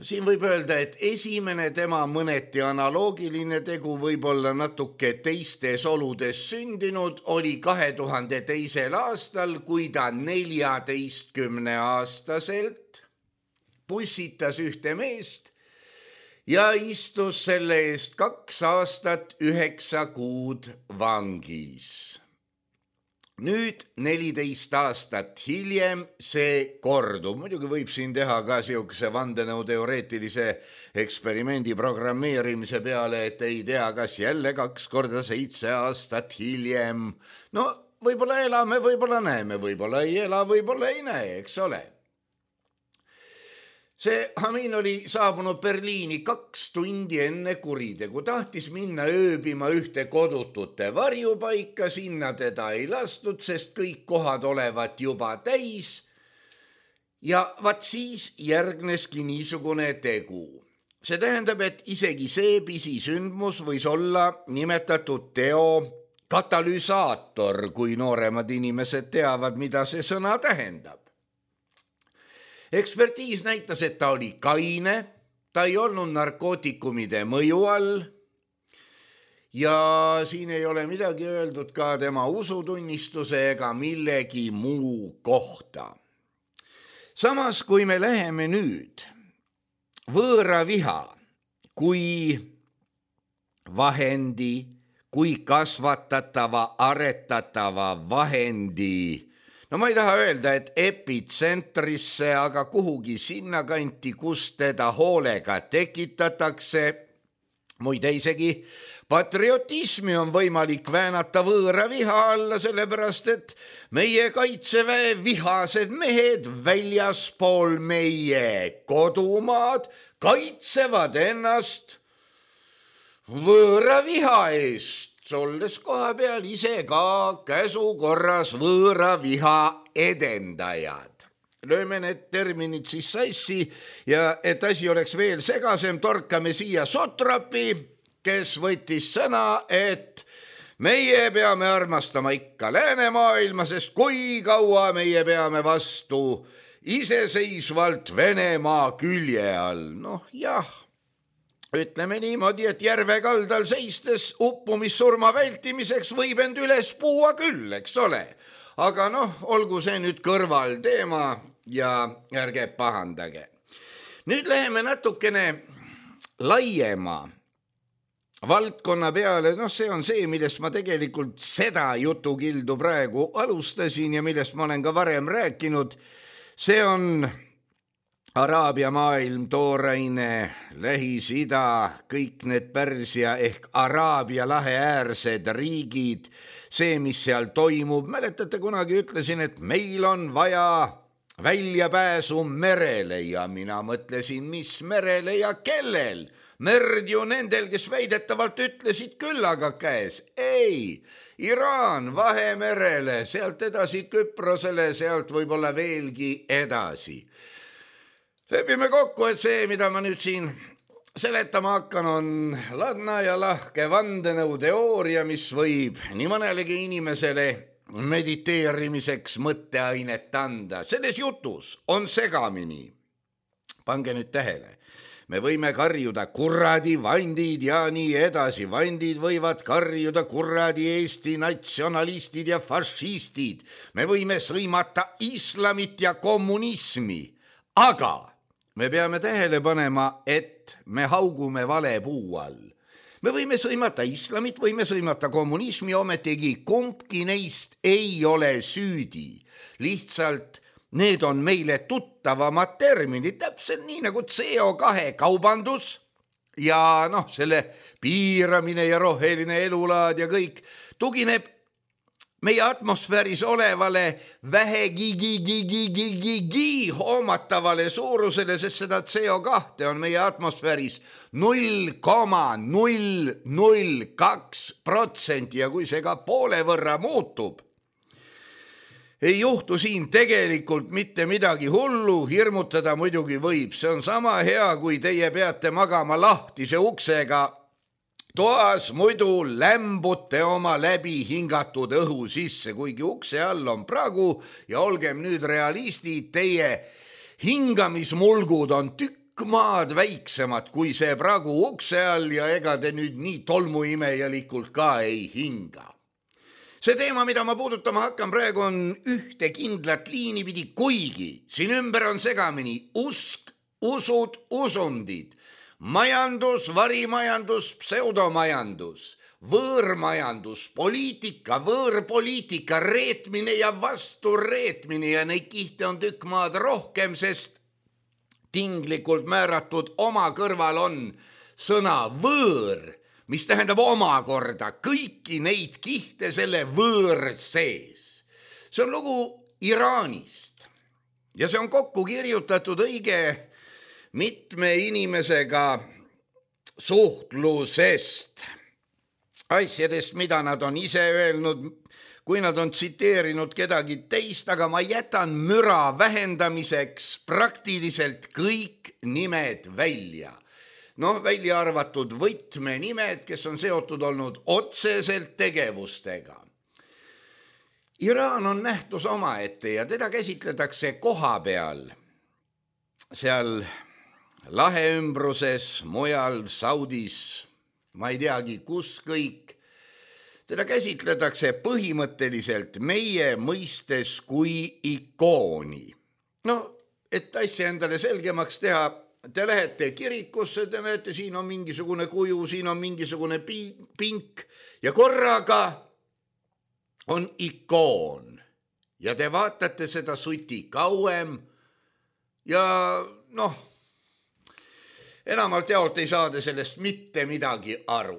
Siin võib öelda, et esimene tema mõneti analoogiline tegu, võib-olla natuke teistes oludes sündinud, oli kahe tuhande teisel aastal, kui ta neljateistkümne aastaselt pussitas ühte meest ja istus selle eest kaks aastat üheksa kuud vangis. Nüüd neliteist aastat hiljem see kordub. Muidugi võib siin teha ka siukse vandenõuteoreetilise eksperimendi programmeerimise peale, et ei tea, kas jälle kaks korda seitse aastat hiljem. No võib-olla elame, võib-olla näeme, võib-olla ei ela, võib-olla ei näe, eks ole. See Hamin oli saabunud Berliini kaks tundi enne kuritegu, tahtis minna ööbima ühte kodutute varjupaika, sinna teda ei lastud, sest kõik kohad olevat juba täis. Ja vat siis järgneski niisugune tegu. See tähendab, et isegi see pisisündmus võis olla nimetatud teo katalüsaator, kui nooremad inimesed teavad, mida see sõna tähendab. Ekspertiis näitas, et ta oli kaine, ta ei olnud narkootikumide mõju all ja siin ei ole midagi öeldud ka tema usutunnistuse ega millegi muu kohta. Samas, kui me läheme nüüd võõra viha kui vahendi, kui kasvatatava, aretatava vahendi, no ma ei taha öelda, et epitsentrisse, aga kuhugi sinna kanti, kus teda hoolega tekitatakse. Muide isegi patriotismi on võimalik väänata võõra viha alla, sellepärast et meie kaitseväe vihased mehed väljaspool meie kodumaad kaitsevad ennast võõra viha eest. Olles koha peal ise ka käsu korras võõra viha edendajad. Lööme need terminid siis sassi ja et asi oleks veel segasem, torkame siia Sotrapi, kes võttis sõna, et meie peame armastama ikka läänemaailma, sest kui kaua meie peame vastu iseseisvalt Venemaa külje all. Noh jah. Ütleme niimoodi, et järve kaldal seistes uppumissurma vältimiseks võib end üles puua küll, eks ole. Aga noh, olgu see nüüd kõrval teema, ja ärge pahandage. Nüüd läheme natukene laiema valdkonna peale, noh see on see, millest ma tegelikult seda jutukildu praegu alustasin ja millest ma olen ka varem rääkinud. See on Araabia maailm, tooraine, Lähis-Ida, kõik need Pärsia ehk Araabia lahe äärsed riigid, see, mis seal toimub. Mäletate, kunagi ütlesin, et meil on vaja väljapääsu merele ja mina mõtlesin, mis merele ja kellel. Merd ju nendel, kes väidetavalt ütlesid küll, aga käes. Ei, Iraan Vahemerele, sealt edasi Küprosele, sealt võib-olla veelgi edasi. Lepime kokku, et see, mida ma nüüd siin seletama hakkan, on ladna ja lahke vandenõu teooria, mis võib nii mõnelegi inimesele mediteerimiseks mõtteainet anda. Selles jutus on segamini. Pange nüüd tähele. Me võime karjuda kuradi vandid ja nii edasi. Vandid võivad karjuda kuradi Eesti natsionalistid ja fašistid. Me võime sõimata islamit ja kommunismi. Aga me peame tähele panema, et me haugume vale puu all. Me võime sõimata islamit, võime sõimata kommunismi, ometigi kumbki neist ei ole süüdi. Lihtsalt need on meile tuttavamad terminid, täpselt nii nagu C O kahe kaubandus ja noh, selle piiramine ja roheline elulaad ja kõik tugineb meie atmosfääris olevale vähegi hoomatavale suurusele, sest seda C O kahte on meie atmosfääris null koma null null kaks protsenti ja kui see ka poole võrra muutub, ei juhtu siin tegelikult mitte midagi hullu, hirmutada muidugi võib. See on sama hea, kui teie peate magama lahtise uksega toas, muidu lämbute oma läbi hingatud õhu sisse, kuigi ukse all on pragu ja olgem nüüd realistid, teie hingamismulgud on tükk maad väiksemad kui see pragu ukse all ja ega te nüüd nii tolmuimejalikult ka ei hinga. See teema, mida ma puudutama hakkan praegu, on ühte kindlat liini pidi, kuigi siin ümber on segamini usk, usud, usundid, majandus, varimajandus, pseudomajandus, võõrmajandus, poliitika, võõrpoliitika, reetmine ja vastureetmine ja neid kihte on tükk maad rohkem, sest tinglikult määratud oma kõrval on sõna võõr, mis tähendab omakorda kõiki neid kihte selle võõr sees. See on lugu Iraanist ja see on kokku kirjutatud õige mitme inimesega suhtlusest, asjadest, mida nad on ise öelnud, kui nad on tsiteerinud kedagi teist, aga ma jätan müra vähendamiseks praktiliselt kõik nimed välja. Noh, välja arvatud võtmenimed, kes on seotud olnud otseselt tegevustega. Iraan on nähtus omaette ja teda käsitletakse koha peal, seal lahe ümbruses, mujal Saudis, ma ei teagi, kus kõik. Teda käsitletakse põhimõtteliselt meie mõistes kui ikooni. No, et asja endale selgemaks teha, te lähete kirikusse, te näete, siin on mingisugune kuju, siin on mingisugune pink ja korraga on ikoon ja te vaatate seda suti kauem ja noh, enamalt jaolt ei saada sellest mitte midagi aru.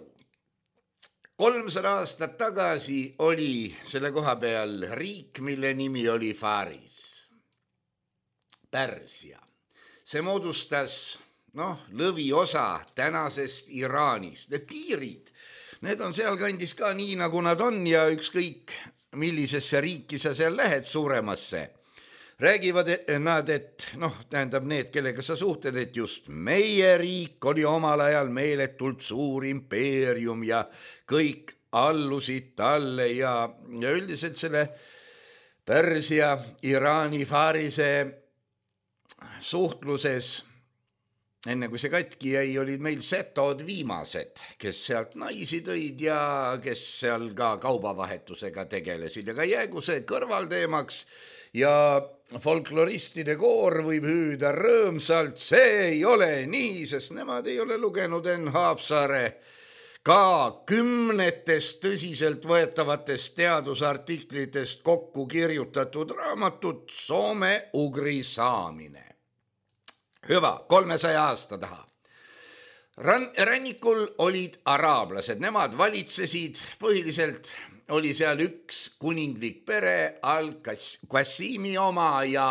kolmsada aastat tagasi oli selle koha peal riik, mille nimi oli Faris, Pärsia. See moodustas noh, lõviosa tänasest Iraanist. Need piirid, need on seal kandis ka nii, nagu nad on ja ükskõik millisesse riiki sa seal lähed suuremasse. Räägivad nad, et noh, tähendab need, kellega sa suhted, et just meie riik oli omal ajal meeletult suur impeerium ja kõik allusid talle ja, ja üldiselt selle Pärsia, Iraani, Farise suhtluses, enne kui see katki jäi, olid meil setod viimased, kes sealt naisi tõid ja kes seal ka kaubavahetusega tegelesid. Ja ka jäägu see kõrvalteemaks ja folkloristide koor võib hüüda rõõmsalt, see ei ole nii, sest nemad ei ole lugenud Enn Haapsaare ka kümnetest tõsiselt võetavatest teadusartiklitest kokku kirjutatud raamatut Soome-ugri saamine. Hüva, kolmesaja aasta taha. Ran- rannikul olid araablased, nemad valitsesid, põhiliselt oli seal üks kuninglik pere, Al-Qassimi oma ja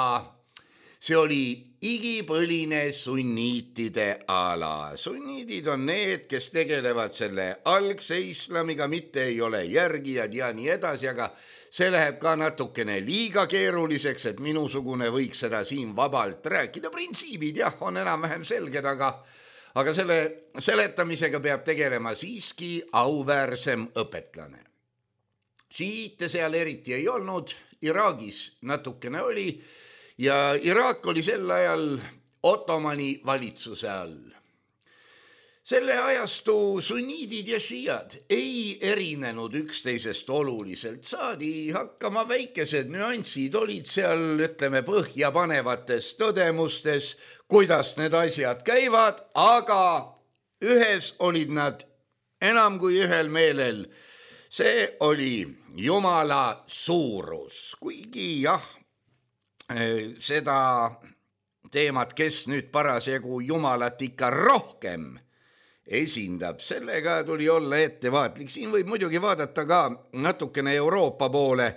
see oli igipõline sunniitide ala. Sunniidid on need, kes tegelevad selle algse islamiga, mitte ei ole järgijad ja nii edasi, aga see läheb ka natukene liiga keeruliseks, et minusugune võiks seda siin vabalt rääkida. Printsiibid jah, on enam-vähem selged, aga, aga selle seletamisega peab tegelema siiski auväärsem õpetlane. Šiite seal eriti ei olnud, Iraagis natukene oli, ja Iraak oli sel ajal Ottomani valitsuse all. Selle ajastu sunniidid ja šiiad ei erinenud üksteisest oluliselt, saadi hakkama väikesed nüansid, olid seal, ütleme, põhjapanevates tõdemustes, kuidas need asjad käivad, aga ühes olid nad enam kui ühel meelel. See oli Jumala suurus, kuigi jah, seda teemat, kes nüüd parasjagu Jumalat ikka rohkem esindab, sellega tuli olla ettevaatlik. Siin võib muidugi vaadata ka natukene Euroopa poole,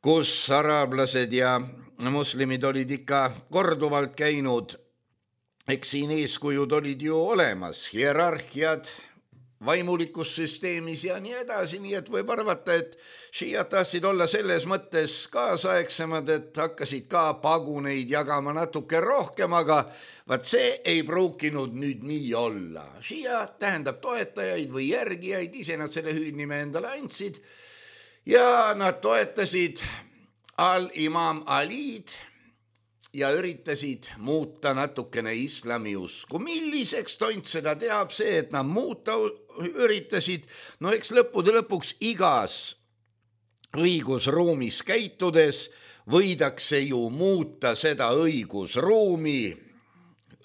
kus araablased ja moslemid olid ikka korduvalt käinud. Eks siin eeskujud olid ju olemas, hierarhiad vaimulikus süsteemis ja nii edasi, nii et võib arvata, et šiiad tahtsid olla selles mõttes kaasaegsemad, et hakkasid ka paguneid jagama natuke rohkem, aga vaat see ei pruukinud nüüd nii olla. Šiia tähendab toetajaid või järgijaid, ise nad selle hüüdnime endale andsid ja nad toetasid al-imam Alid ja üritasid muuta natukene islami usku. Milliseks tont seda teab see, et nad muuta üritasid, no eks lõppude lõpuks igas õigusruumis käitudes võidakse ju muuta seda õigusruumi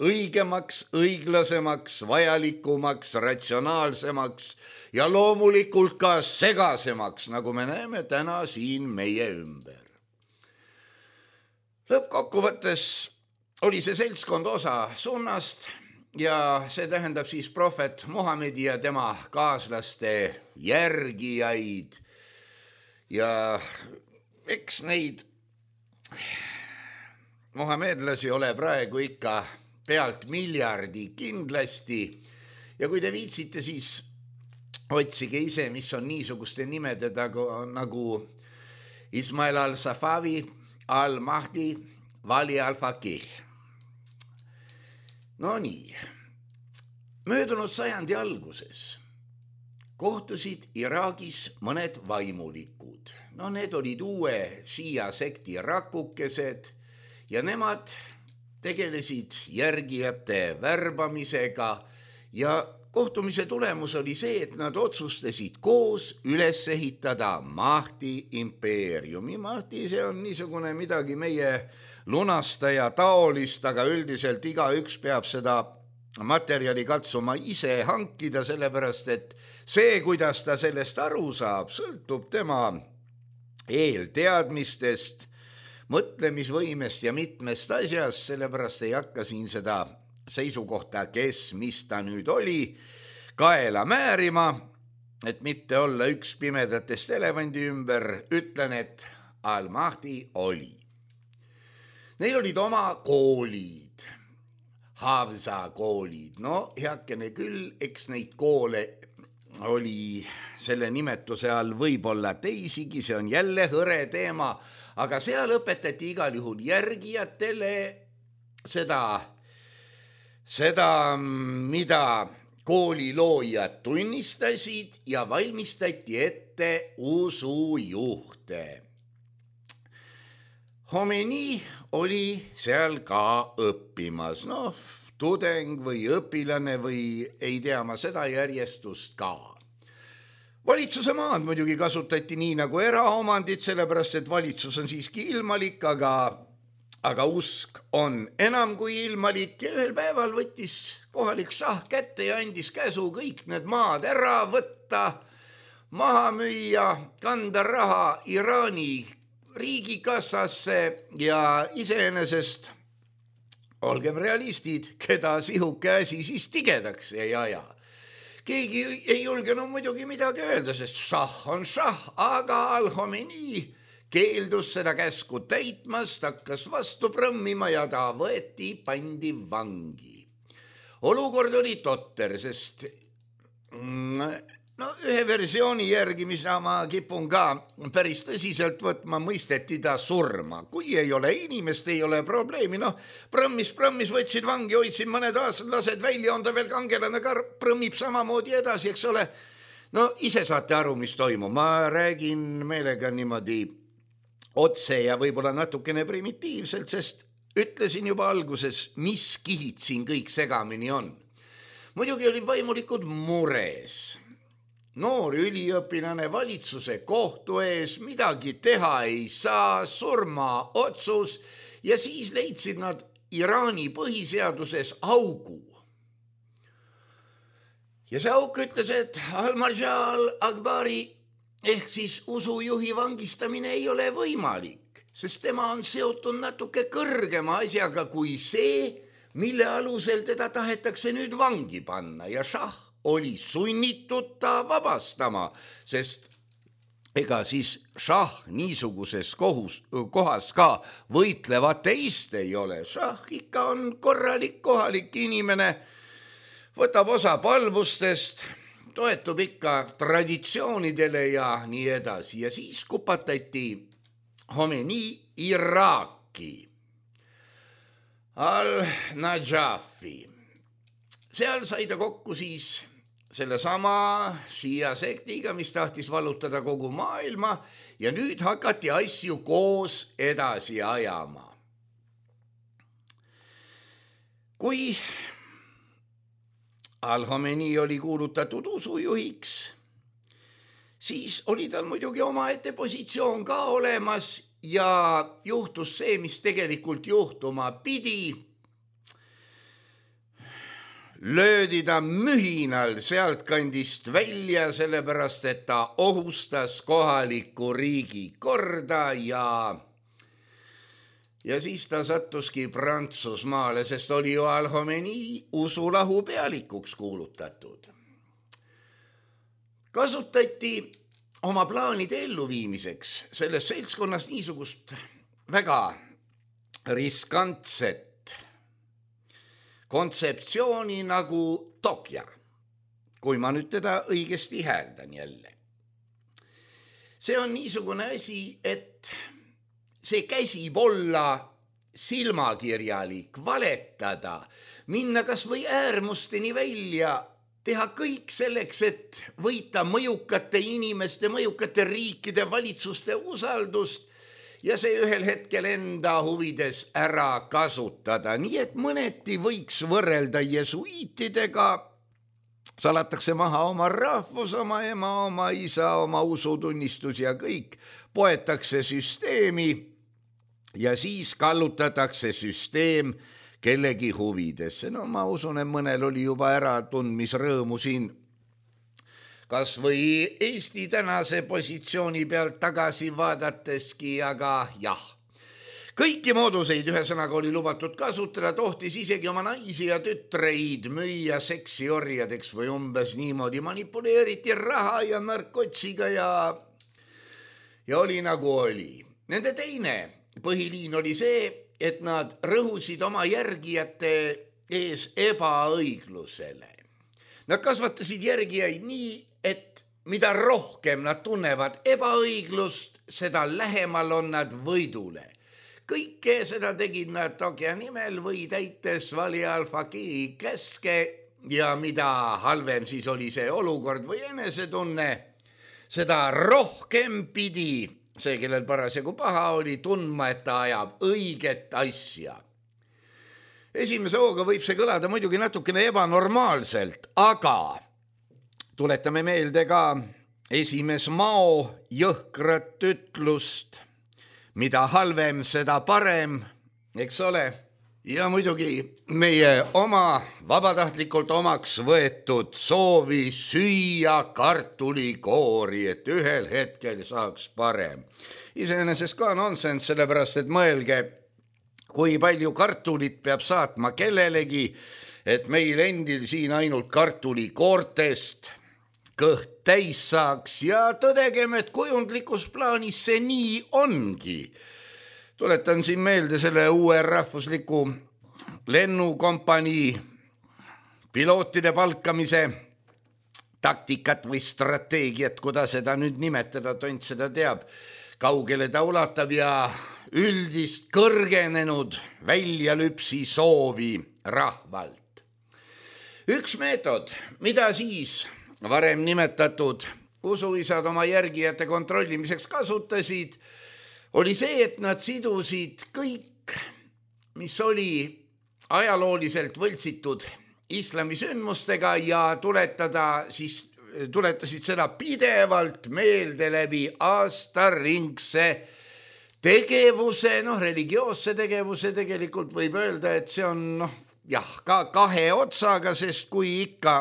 õigemaks, õiglasemaks, vajalikumaks, ratsionaalsemaks ja loomulikult ka segasemaks, nagu me näeme täna siin meie ümber. Lõppkokkuvõttes oli see seltskond osa sunnast ja see tähendab siis prohvet Muhamedi ja tema kaaslaste järgijaid ja eks neid muhamedlasi ole praegu ikka pealt miljardi kindlasti ja kui te viitsite, siis otsige ise, mis on niisuguste nimede tagu, nagu Ismail al-Safavi, al-Mahdi, Vali al-Faqih. No nii, möödunud sajandi alguses kohtusid Iraagis mõned vaimulikud. No need olid uue šiia sekti rakukesed ja nemad tegelesid järgijate värbamisega ja kohtumise tulemus oli see, et nad otsustasid koos üles ehitada Mahdi impeeriumi. Mahdi, see on niisugune midagi meie lunastaja taolist, aga üldiselt igaüks peab seda materjali katsuma ise hankida, sellepärast et see, kuidas ta sellest aru saab, sõltub tema eelteadmistest, mõtlemisvõimest ja mitmest asjast, sellepärast ei hakka siin seda seisukohta, kes, mis ta nüüd oli, kaela määrima, et mitte olla üks pimedatest elevandi ümber, ütlen, et al-Mahdi oli. Neil olid oma koolid, Havza koolid, no heakene küll, eks neid koole oli selle nimetuse all võib-olla teisigi, see on jälle hõre teema, aga seal õpetati igal juhul järgijatele seda Seda, mida kooliloojad tunnistasid ja valmistati ette usujuhte. Homeni oli seal ka õppimas, noh, tudeng või õpilane või ei tea ma seda järjestust ka. valitsuse maad muidugi kasutati nii nagu eraomandit, sellepärast et valitsus on siiski ilmalik, aga, aga usk on enam kui ilmalik ja ühel päeval võttis kohalik šah kätte ja andis käsu kõik need maad ära võtta, maha müüa, kanda raha Iraani riigikassasse ja iseenesest, olgem realistid, keda sihuke asi siis tigedaks ei aja. Keegi ei julgenud muidugi midagi öelda, sest šah on šah, aga Al-Khomeini keeldus seda käsku täitmast, hakkas vastu prõmmima ja ta võeti, pandi vangi. Olukord oli totter, sest no ühe versiooni järgi, mis ma kipun ka päris tõsiselt võtma, mõisteti ta surma. Kui ei ole inimest, ei ole probleemi. No prõmmis, prõmmis, võtsid vangi, hoidsid mõned aastad, lased välja, on ta veel kangelane ka, prõmmib samamoodi edasi, eks ole. No ise saate aru, mis toimub. Ma räägin meelega niimoodi otse ja võib-olla natukene primitiivselt, sest ütlesin juba alguses, mis kihid siin kõik segamini on. Muidugi oli vaimulikud mures. Noor üliõpilane valitsuse kohtu ees, midagi teha ei saa, surma otsus ja siis leidsid nad Iraani põhiseaduses augu. Ja see auk ütles, et Al-Marja al-Akbari ehk siis usujuhi vangistamine ei ole võimalik, sest tema on seotud natuke kõrgema asjaga kui see, mille alusel teda tahetakse nüüd vangi panna ja šah oli sunnitud ta vabastama, sest ega siis šah niisuguses kohus, kohas ka võitlev ateist ei ole. Šah ikka on korralik kohalik inimene, võtab osa palvustest, toetub ikka traditsioonidele ja nii edasi. Ja siis kupatati Khomeini Iraaki, Al-Najafi. Seal sai ta kokku siis selle sama Shia sektiga, mis tahtis vallutada kogu maailma ja nüüd hakati asju koos edasi ajama. Kui Al-Khomeini oli kuulutatud usujuhiks, siis oli tal muidugi omaette positsioon ka olemas ja juhtus see, mis tegelikult juhtuma pidi. Löödi ta mühinal sealt kandist välja, sellepärast et ta ohustas kohaliku riigi korda ja, ja siis ta sattuski Prantsusmaale, sest oli ju Al-Khomeini usulahu pealikuks kuulutatud. Kasutati oma plaanide elluviimiseks selles seltskonnas niisugust väga riskantset kontseptsiooni nagu Tokja, kui ma nüüd teda õigesti hääldan jälle. See on niisugune asi, et see käsib olla silmakirjalik, valetada, minna kas või äärmusteni välja, teha kõik selleks, et võita mõjukate inimeste, mõjukate riikide valitsuste usaldust ja see ühel hetkel enda huvides ära kasutada. Nii et mõneti võiks võrrelda jesuiitidega, salatakse maha oma rahvus, oma ema, oma isa, oma usutunnistus ja kõik, poetakse süsteemi ja siis kallutatakse süsteem kellegi huvidesse. No ma usun, et mõnel oli juba äratundmisrõõmu siin kas või Eesti tänase positsiooni pealt tagasi vaadateski, aga jah. Kõiki mooduseid ühesõnaga oli lubatud kasutada, tohtis isegi oma naisi ja tütreid müüa seksiorjadeks või umbes niimoodi manipuleeriti raha ja narkotsiga ja, ja oli nagu oli. Nende teine põhiliin oli see, et nad rõhusid oma järgijate ees ebaõiglusele. Nad kasvatasid järgijaid nii, et mida rohkem nad tunnevad ebaõiglust, seda lähemal on nad võidule. Kõike seda tegid nad Tokja nimel või täites Vali al-Faqih käske ja mida halvem siis oli see olukord või enesetunne, seda rohkem pidi see, kellel parasjagu paha oli, tundma, et ta ajab õiget asja. Esimese hooga võib see kõlada muidugi natukene ebanormaalselt, aga tuletame meelde ka esimees Mao jõhkrat ütlust, mida halvem, seda parem, eks ole. Ja muidugi meie oma vabatahtlikult omaks võetud soovi süüa kartulikoori, et ühel hetkel saaks parem. Iseenesest ka nonsense, sellepärast et mõelge, kui palju kartulit peab saatma kellelegi, et meil endil siin ainult kartulikoortest kõht täis saaks ja tõdegem, et kujundlikus plaanis see nii ongi. Tuletan siin meelde selle uue rahvusliku lennukompanii pilootide palkamise taktikat või strateegiat, kuda seda nüüd nimetada, tont seda teab, kaugele ta ulatab ja üldist kõrgenenud väljalüpsi soovi rahvalt. Üks meetod, mida siis varem nimetatud usuisad oma järgijate kontrollimiseks kasutasid, oli see, et nad sidusid kõik, mis oli ajalooliselt võltsitud islami sündmustega ja tuletada siis, tuletasid seda pidevalt meelde läbi aastaringse tegevuse, noh, religioosse tegevuse tegelikult võib öelda, et see on, noh, jah, ka kahe otsaga, sest kui ikka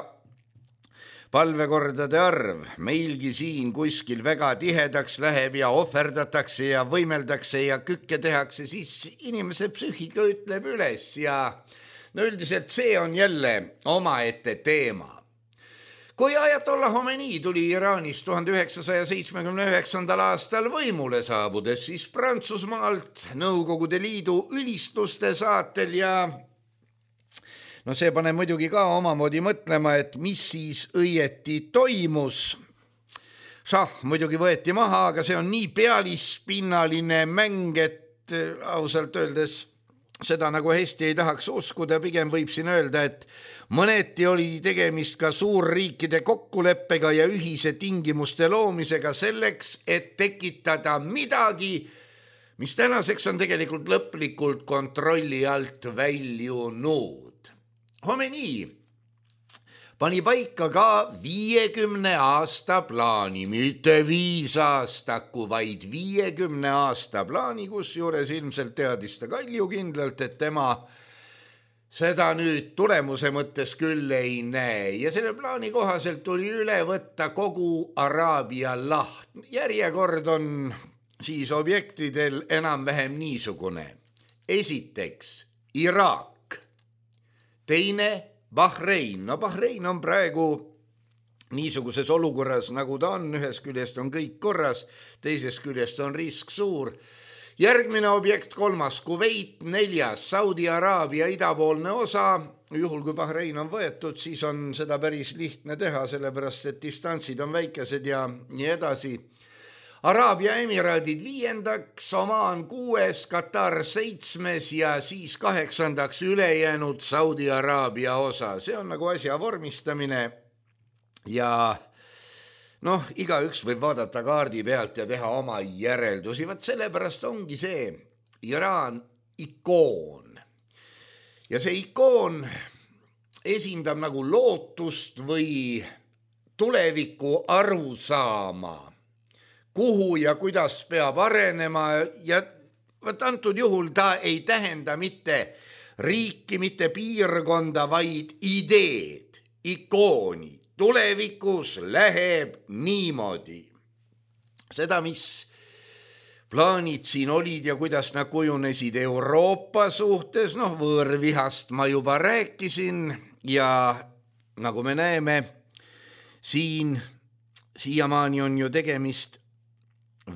palvekordade arv meilgi siin kuskil väga tihedaks läheb ja ohverdatakse ja võimeldakse ja kükke tehakse, siis inimese psüühika ütleb üles ja no üldiselt see on jälle omaette teema. Kui Ajatollah Khomeini tuli Iraanis tuhande üheksasaja seitsmekümne üheksandal aastal võimule saabudes, siis Prantsusmaalt Nõukogude Liidu ülistuste saatel ja no see paneb muidugi ka omamoodi mõtlema, et mis siis õieti toimus. Šah muidugi võeti maha, aga see on nii pealispinnaline mäng, et ausalt öeldes seda nagu hästi ei tahaks uskuda. Pigem võib siin öelda, et mõneti oli tegemist ka suurriikide kokkuleppega ja ühise tingimuste loomisega selleks, et tekitada midagi, mis tänaseks on tegelikult lõplikult kontrolli alt väljunud. Khomeini pani paika ka viiekümne aasta plaani, mitte viis aastaku, vaid viiekümne aasta plaani, kus juures ilmselt teadis ta kaljukindlalt, et tema seda nüüd tulemuse mõttes küll ei näe. Ja selle plaani kohaselt tuli üle võtta kogu Araabia laht. Järjekord on siis objektidel enam-vähem niisugune. Esiteks Iraak. Teine Bahrein. No Bahrein on praegu niisuguses olukorras, nagu ta on. Ühest küljest on kõik korras, teisest küljest on risk suur. Järgmine objekt, kolmas Kuveit, neljas Saudi Araabia idapoolne osa. Juhul kui Bahrein on võetud, siis on seda päris lihtne teha, sellepärast et distantsid on väikesed ja nii edasi. Araabia Emiraadid viiendaks, Omaan kuues, Katar seitsmes ja siis kaheksandaks ülejäänud Saudi Araabia osa. See on nagu asja vormistamine ja noh, igaüks võib vaadata kaardi pealt ja teha oma järeldusi. Vaat sellepärast ongi see Iraan ikoon. Ja see ikoon esindab nagu lootust või tuleviku arusaama, kuhu ja kuidas peab arenema ja võt antud juhul ta ei tähenda mitte riiki, mitte piirkonda, vaid ideed, ikooni. Tulevikus läheb niimoodi. Seda, mis plaanid siin olid ja kuidas nad kujunesid Euroopa suhtes, noh, võõrvihast ma juba rääkisin ja nagu me näeme, siin siiamaani on ju tegemist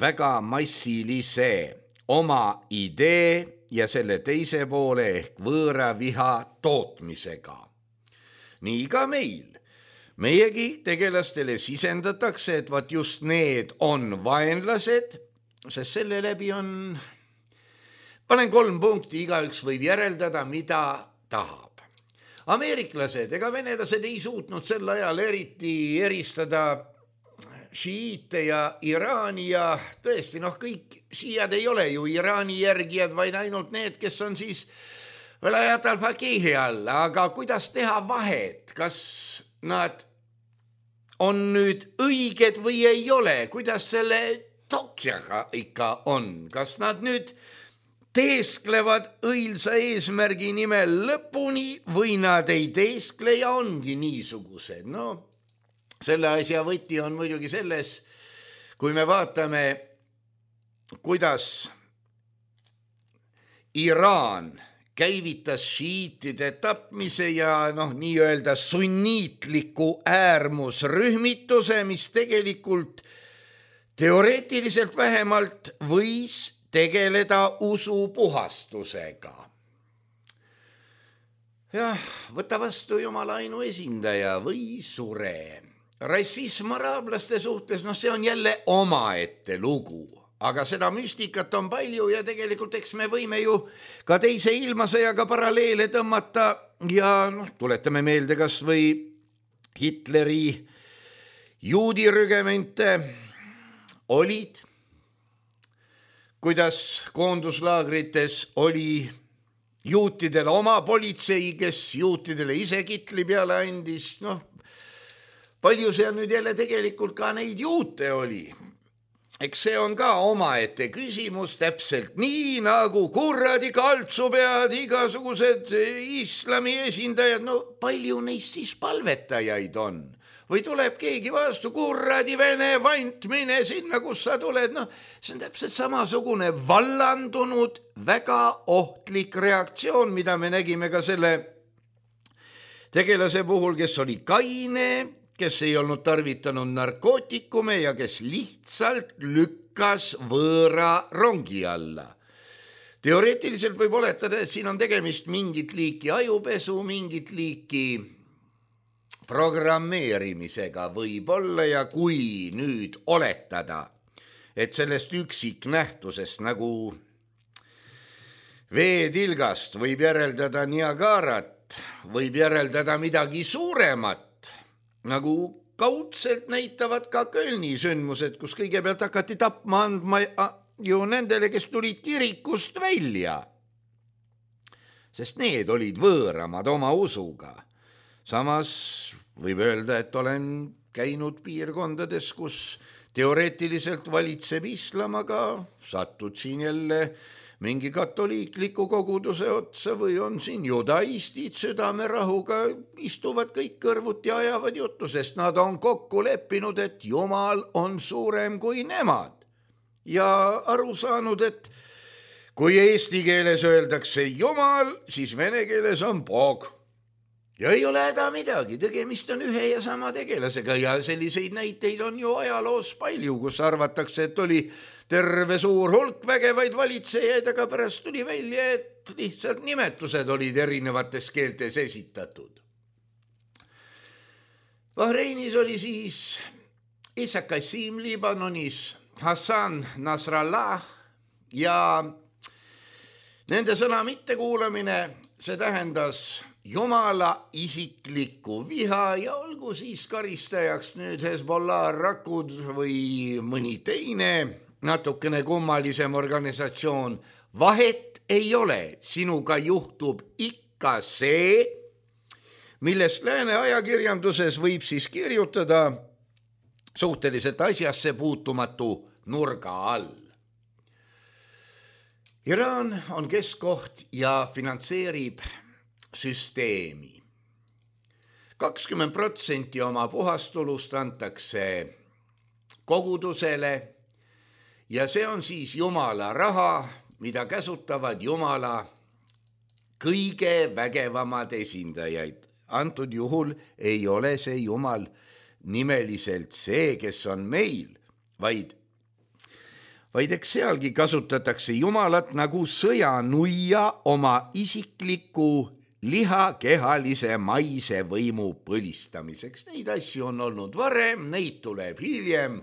väga massilise oma idee ja selle teise poole ehk võõra viha tootmisega. Nii ka meil. Meiegi tegelastele sisendatakse, et vaat just need on vaenlased, sest selle läbi on, panen kolm punkti, igaüks võib järeldada, mida tahab. Ameeriklased ega venelased ei suutnud sel ajal eriti eristada šiiite ja Iraani ja tõesti, noh, kõik šiiad ei ole ju Iraani järgijad, vaid ainult need, kes on siis Velayat al-Faqihi all, aga kuidas teha vahet, kas nad on nüüd õiged või ei ole, kuidas selle Tokjaga ikka on, kas nad nüüd teesklevad õilsa eesmärgi nimel lõpuni või nad ei teeskle ja ongi niisugused. No selle asja võti on muidugi selles, kui me vaatame, kuidas Iraan käivitas šiitide tapmise ja noh, nii-öelda sunniitliku äärmusrühmituse, mis tegelikult teoreetiliselt vähemalt võis tegeleda usupuhastusega. Jah, võta vastu Jumala ainu esindaja või sure. Rassism araablaste suhtes, noh see on jälle omaette lugu, aga seda müstikat on palju ja tegelikult eks me võime ju ka teise ilmasõjaga paralleele tõmmata ja noh, tuletame meelde kas või Hitleri juudirügemente olid, kuidas koonduslaagrites oli juutidel oma politsei, kes juutidele ise kitli peale andis, noh, palju seal nüüd jälle tegelikult ka neid juute oli. Eks see on ka omaette küsimus, täpselt nii nagu kuradi kaltsupead, igasugused islami esindajad, no palju neist siis palvetajaid on? Või tuleb keegi vastu, kuradi vene vant, mine sinna, kus sa tuled. No, see on täpselt samasugune vallandunud, väga ohtlik reaktsioon, mida me nägime ka selle tegelase puhul, kes oli kaine, kes ei olnud tarvitanud narkootikume ja kes lihtsalt lükkas võõra rongi alla. Teoreetiliselt võib oletada, et siin on tegemist mingit liiki ajupesu, mingit liiki programmeerimisega võib olla ja kui nüüd oletada, et sellest üksiknähtusest nagu veetilgast võib järeldada Niagarat, võib järeldada midagi suuremat, nagu kaudselt näitavad ka Kölni sündmused, kus kõigepealt hakati tapma andma ju nendele, kes tulid kirikust välja, sest need olid võõramad oma usuga. Samas võib öelda, et olen käinud piirkondades, kus teoreetiliselt valitseb islam, aga satud siin jälle mingi katoliikliku koguduse otsa või on siin judaistid südamerahuga, istuvad kõik kõrvuti ja ajavad juttu, sest nad on kokku leppinud, et Jumal on suurem kui nemad ja aru saanud, et kui eesti keeles öeldakse Jumal, siis vene keeles on Bog. Ja ei ole häda midagi, tegemist on ühe ja sama tegelasega ja selliseid näiteid on ju ajaloos palju, kus arvatakse, et oli terve suur hulk vägevaid valitsejaid, aga pärast tuli välja, et lihtsalt nimetused olid erinevates keeltes esitatud. Bahreinis oli siis Issa Kassim Liibanonis, Hassan Nasrallah ja nende sõna mittekuulamine, see tähendas Jumala isiklikku viha ja olgu siis karistajaks nüüd Hezbollah rakud või mõni teine natukene kummalisem organisatsioon. Vahet ei ole, sinuga juhtub ikka see, millest lääne ajakirjanduses võib siis kirjutada suhteliselt asjasse puutumatu nurga all. Iraan on keskkoht ja finantseerib süsteemi. kakskümmend protsenti oma puhastulust antakse kogudusele ja see on siis Jumala raha, mida käsutavad Jumala kõige vägevamad esindajaid. Antud juhul ei ole see Jumal nimeliselt see, kes on meil, vaid vaid eks sealgi kasutatakse Jumalat nagu sõjanuia oma isikliku lihakehalise maise võimu põlistamiseks. Neid asju on olnud varem, neid tuleb hiljem.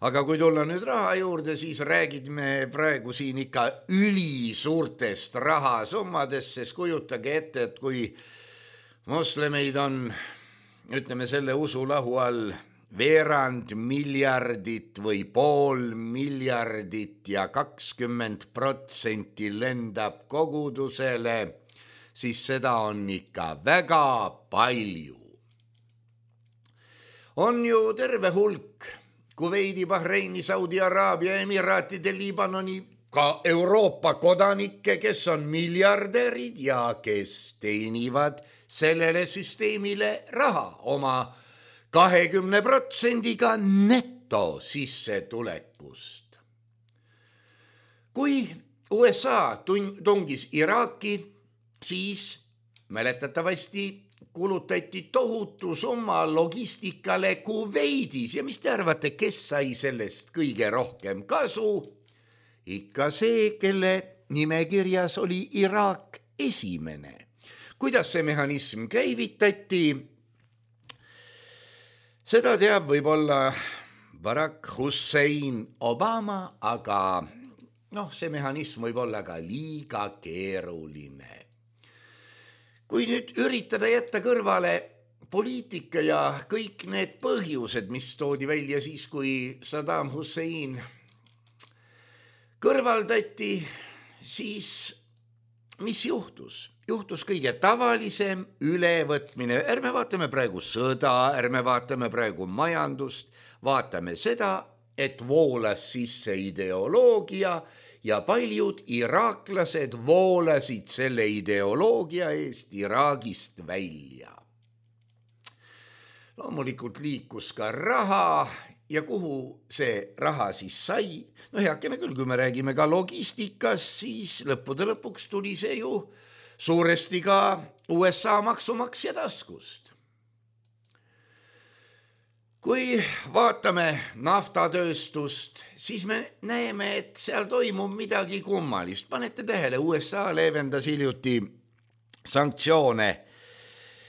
Aga kui tulla nüüd raha juurde, siis räägime praegu siin ikka ülisuurtest rahasummadest, sest kujutage ette, et kui moslemeid on, ütleme selle usulahu all, veerand miljardit või pool miljardit ja kakskümmend protsenti lendab kogudusele, siis seda on ikka väga palju. on ju terve hulk Kuveidi, Bahreini, Saudi Araabia, Emiraatide, Liibanoni, ka Euroopa kodanikke, kes on miljardärid ja kes teenivad sellele süsteemile raha oma kahekümne protsendiga neto sissetulekust. Kui U S A tungis Iraaki, siis mäletatavasti kulutati tohutu summa logistikale Kuveidis ja mis te arvate, kes sai sellest kõige rohkem kasu? Ikka see, kelle nimekirjas oli Iraak esimene. Kuidas see mehhanism käivitati? Seda teab võib-olla Barack Hussein Obama, aga noh, see mehhanism võib olla ka liiga keeruline. Kui nüüd üritada jätta kõrvale poliitika ja kõik need põhjused, mis toodi välja siis, kui Saddam Hussein kõrvaldati, siis mis juhtus? Juhtus kõige tavalisem ülevõtmine. Ärme vaatame praegu sõda, ärme vaatame praegu majandust, vaatame seda, et voolas sisse ideoloogia ja paljud iraaklased voolasid selle ideoloogia eest Iraagist välja. Loomulikult liikus ka raha ja kuhu see raha siis sai? No heakene küll, kui me räägime ka logistikas, siis lõppude lõpuks tuli see ju suuresti ka U S A maksumaksja taskust. Kui vaatame naftatööstust, siis me näeme, et seal toimub midagi kummalist. Panete tähele, U S A leevendas hiljuti sanktsioone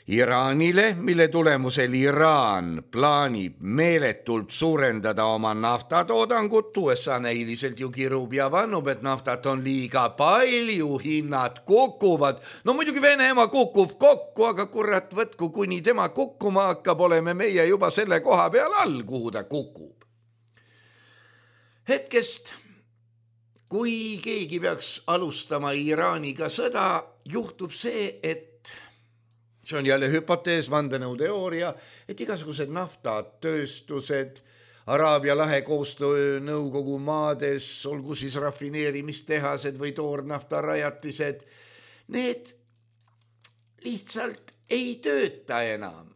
Iraanile, mille tulemusel Iraan plaanib meeletult suurendada oma naftatoodangut. U S A näiliselt ju kirub ja vannub, et naftat on liiga palju, hinnad kukuvad. No muidugi Venemaa kukub kokku, aga kurat võtku, kuni tema kukkuma hakkab, oleme meie juba selle koha peal all, kuhu ta kukub. Hetkest, kui keegi peaks alustama Iraaniga sõda, juhtub see, et see on jälle hüpotees, vandenõuteooria, et igasugused naftatööstused Araabia lahe koostöö nõukogu maades, olgu siis rafineerimistehased või toornaftarajatised, need lihtsalt ei tööta enam.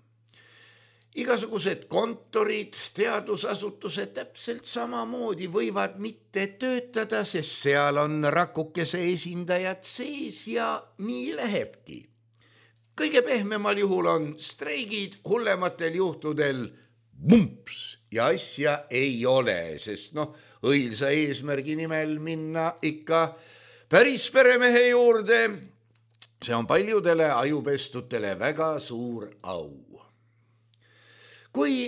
Igasugused kontorid, teadusasutused täpselt samamoodi võivad mitte töötada, sest seal on rakukese esindajad sees ja nii lähebki. Kõige pehmemal juhul on streigid, hullematel juhtudel bumps ja asja ei ole, sest noh, õilsa eesmärgi nimel minna ikka päris peremehe juurde, see on paljudele ajupestutele väga suur au. Kui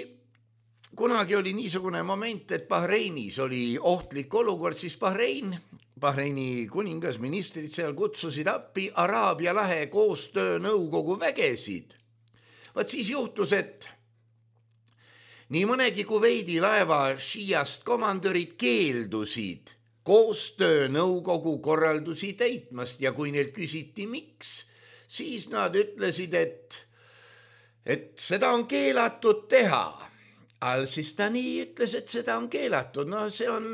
kunagi oli niisugune moment, et Bahreinis oli ohtlik olukord, siis Bahrein Bahreini kuningas ministrid seal kutsusid appi Araabia lahe koostöö nõukogu vägesid. Vaat siis juhtus, et nii mõnegi Kuveidi laeva šiiast komandörid keeldusid koostöö nõukogu korraldusi täitmast ja kui neilt küsiti miks, siis nad ütlesid, et, et seda on keelatud teha. Al-Sistani ütles, et seda on keelatud. No see on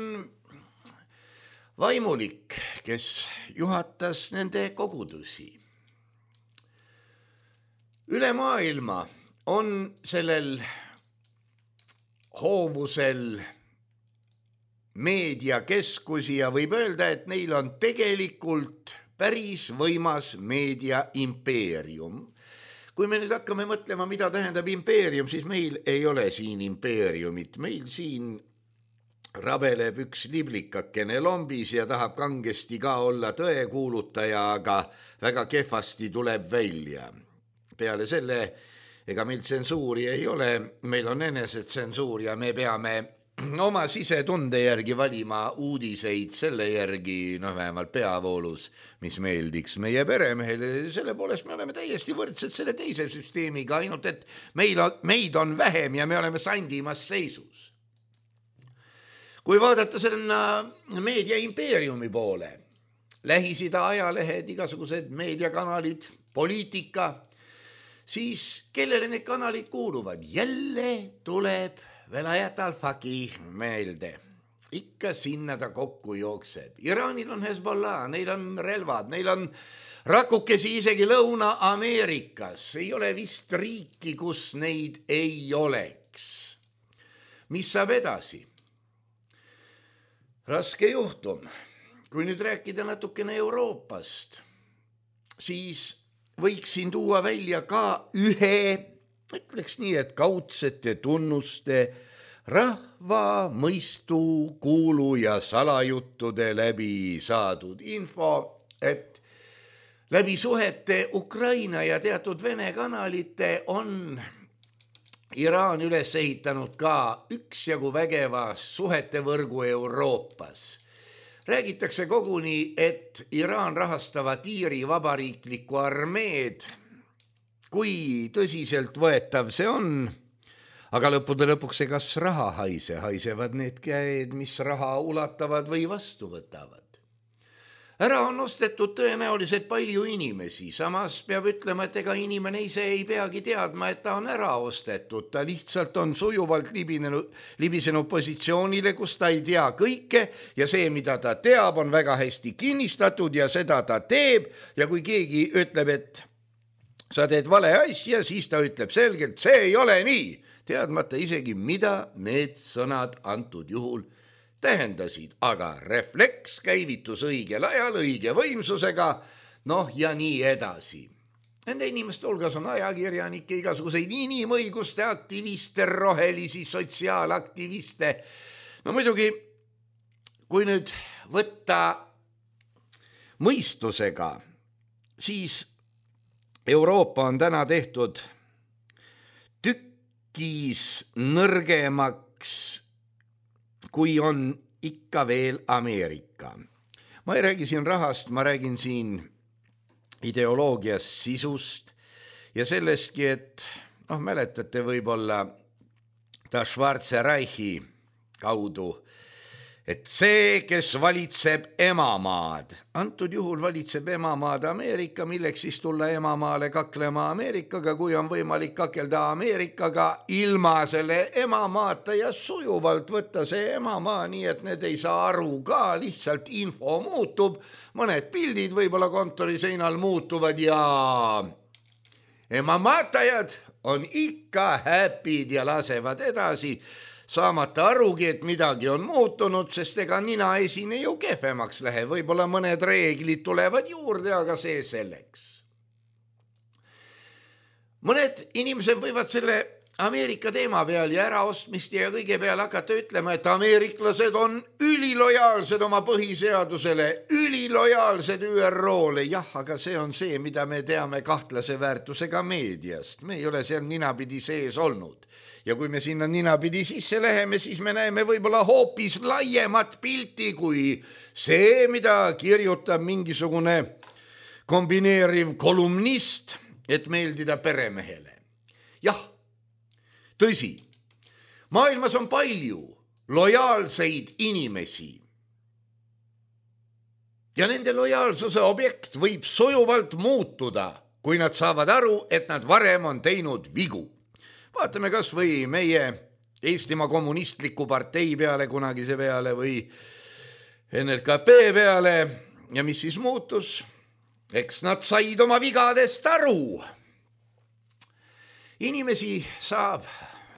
vaimulik, kes juhatas nende kogudusi. Üle maailma on sellel hoovusel meediakeskusi ja võib öelda, et neil on tegelikult päris võimas meediaimpeerium. Kui me nüüd hakkame mõtlema, mida tähendab impeerium, siis meil ei ole siin impeeriumit. Meil siin rabeleb üks liblikakene lombis ja tahab kangesti ka olla tõekuulutaja, aga väga kehvasti tuleb välja. Peale selle, ega meil tsensuuri ei ole, meil on enesetsensuur ja me peame oma sisetunde järgi valima uudiseid selle järgi, noh vähemalt peavoolus, mis meeldiks meie peremehele. Selle poolest me oleme täiesti võrdsed selle teise süsteemiga, ainult et meil on, meid on vähem ja me oleme sandimas seisus. Kui vaadata selle meediaimpeeriumi poole, Lähis-Ida ajalehed, igasugused meediakanalid, poliitika, siis kellele need kanalid kuuluvad? Jälle tuleb Velayat Al-Faqih meelde. Ikka sinna ta kokku jookseb. Iraanil on Hezbollah, neil on relvad, neil on rakukesi isegi Lõuna-Ameerikas. Ei ole vist riiki, kus neid ei oleks. Mis saab edasi? Raske juhtum. Kui nüüd rääkida natukene Euroopast, siis võiksin tuua välja ka ühe, ütleks nii, et kaudsete tunnuste rahva mõistu kuulu ja salajuttude läbi saadud info, et läbi suhete Ukraina ja teatud Vene kanalite on Iraan üles ehitanud ka üksjagu vägeva suhete võrgu Euroopas. Räägitakse koguni, et Iraan rahastavad Iiri vabariiklikku armeed. Kui tõsiselt võetav see on, aga lõppude lõpuks see kas raha haise, haisevad need käed, mis raha ulatavad või vastu võtavad. Ära on ostetud tõenäoliselt palju inimesi, samas peab ütlema, et ega inimene ise ei peagi teadma, et ta on ära ostetud. Ta lihtsalt on sujuvalt libinenud, libisenud positsioonile, kus ta ei tea kõike ja see, mida ta teab, on väga hästi kinnistatud ja seda ta teeb. Ja kui keegi ütleb, et sa teed vale asja, siis ta ütleb selgelt, see ei ole nii, teadmata isegi, mida need sõnad antud juhul tähendasid, aga refleks käivitus õigel ajal, õige võimsusega, noh ja nii edasi. Nende inimeste hulgas on ajakirjanikke, igasuguseid inimõiguste aktiviste, rohelisi sotsiaalaktiviste. No muidugi, kui nüüd võtta mõistusega, siis Euroopa on täna tehtud tükkis nõrgemaks, kui on ikka veel Ameerika. Ma ei räägi siin rahast, ma räägin siin ideoloogiast, sisust ja sellestki, et noh, mäletate võib-olla ta Schwarze Reichi kaudu, et see, kes valitseb emamaad, antud juhul valitseb emamaad Ameerika, milleks siis tulla emamaale kaklema Ameerikaga, kui on võimalik kakelda Ameerikaga ilma selle emamaata ja sujuvalt võtta see emamaa, nii et need ei saa aru ka, lihtsalt info muutub, mõned pildid võib-olla kontori seinal muutuvad ja emamaatajad on ikka häpid ja lasevad edasi, saamata arugi, et midagi on muutunud, sest ega nina esine ju kehvemaks lähe. Võib-olla mõned reeglid tulevad juurde, aga see selleks. Mõned inimesed võivad selle Ameerika teema peal ja äraostmist ja kõige peale hakata ütlema, et ameeriklased on ülilojaalsed oma põhiseadusele, ülilojaalsed Ü R O-le. Jah, aga see on see, mida me teame kahtlase väärtusega meediast. Me ei ole seal ninapidi sees olnud. Ja kui me sinna ninapidi sisse läheme, siis me näeme võib-olla hoopis laiemat pilti kui see, mida kirjutab mingisugune kombineeriv kolumnist, et meeldida peremehele. Jah, tõsi, maailmas on palju lojaalseid inimesi ja nende lojaalsuse objekt võib sujuvalt muutuda, kui nad saavad aru, et nad varem on teinud vigu. Vaatame kas või meie Eestimaa kommunistliku partei peale, kunagise peale või N L K P peale ja mis siis muutus? Eks nad said oma vigadest aru. Inimesi saab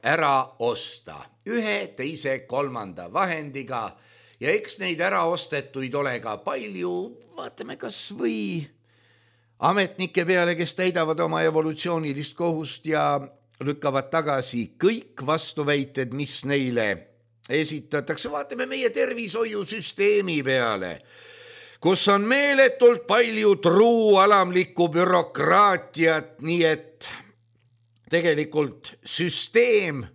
ära osta ühe, teise, kolmanda vahendiga ja eks neid ära ostetuid ole ka palju. Vaatame kas või ametnike peale, kes täidavad oma evolutsioonilist kohust ja lükkavad tagasi kõik vastuväited, mis neile esitatakse. Vaatame meie tervishoiusüsteemi peale, kus on meeletult palju truualamlikku bürokraatiat, nii et tegelikult süsteem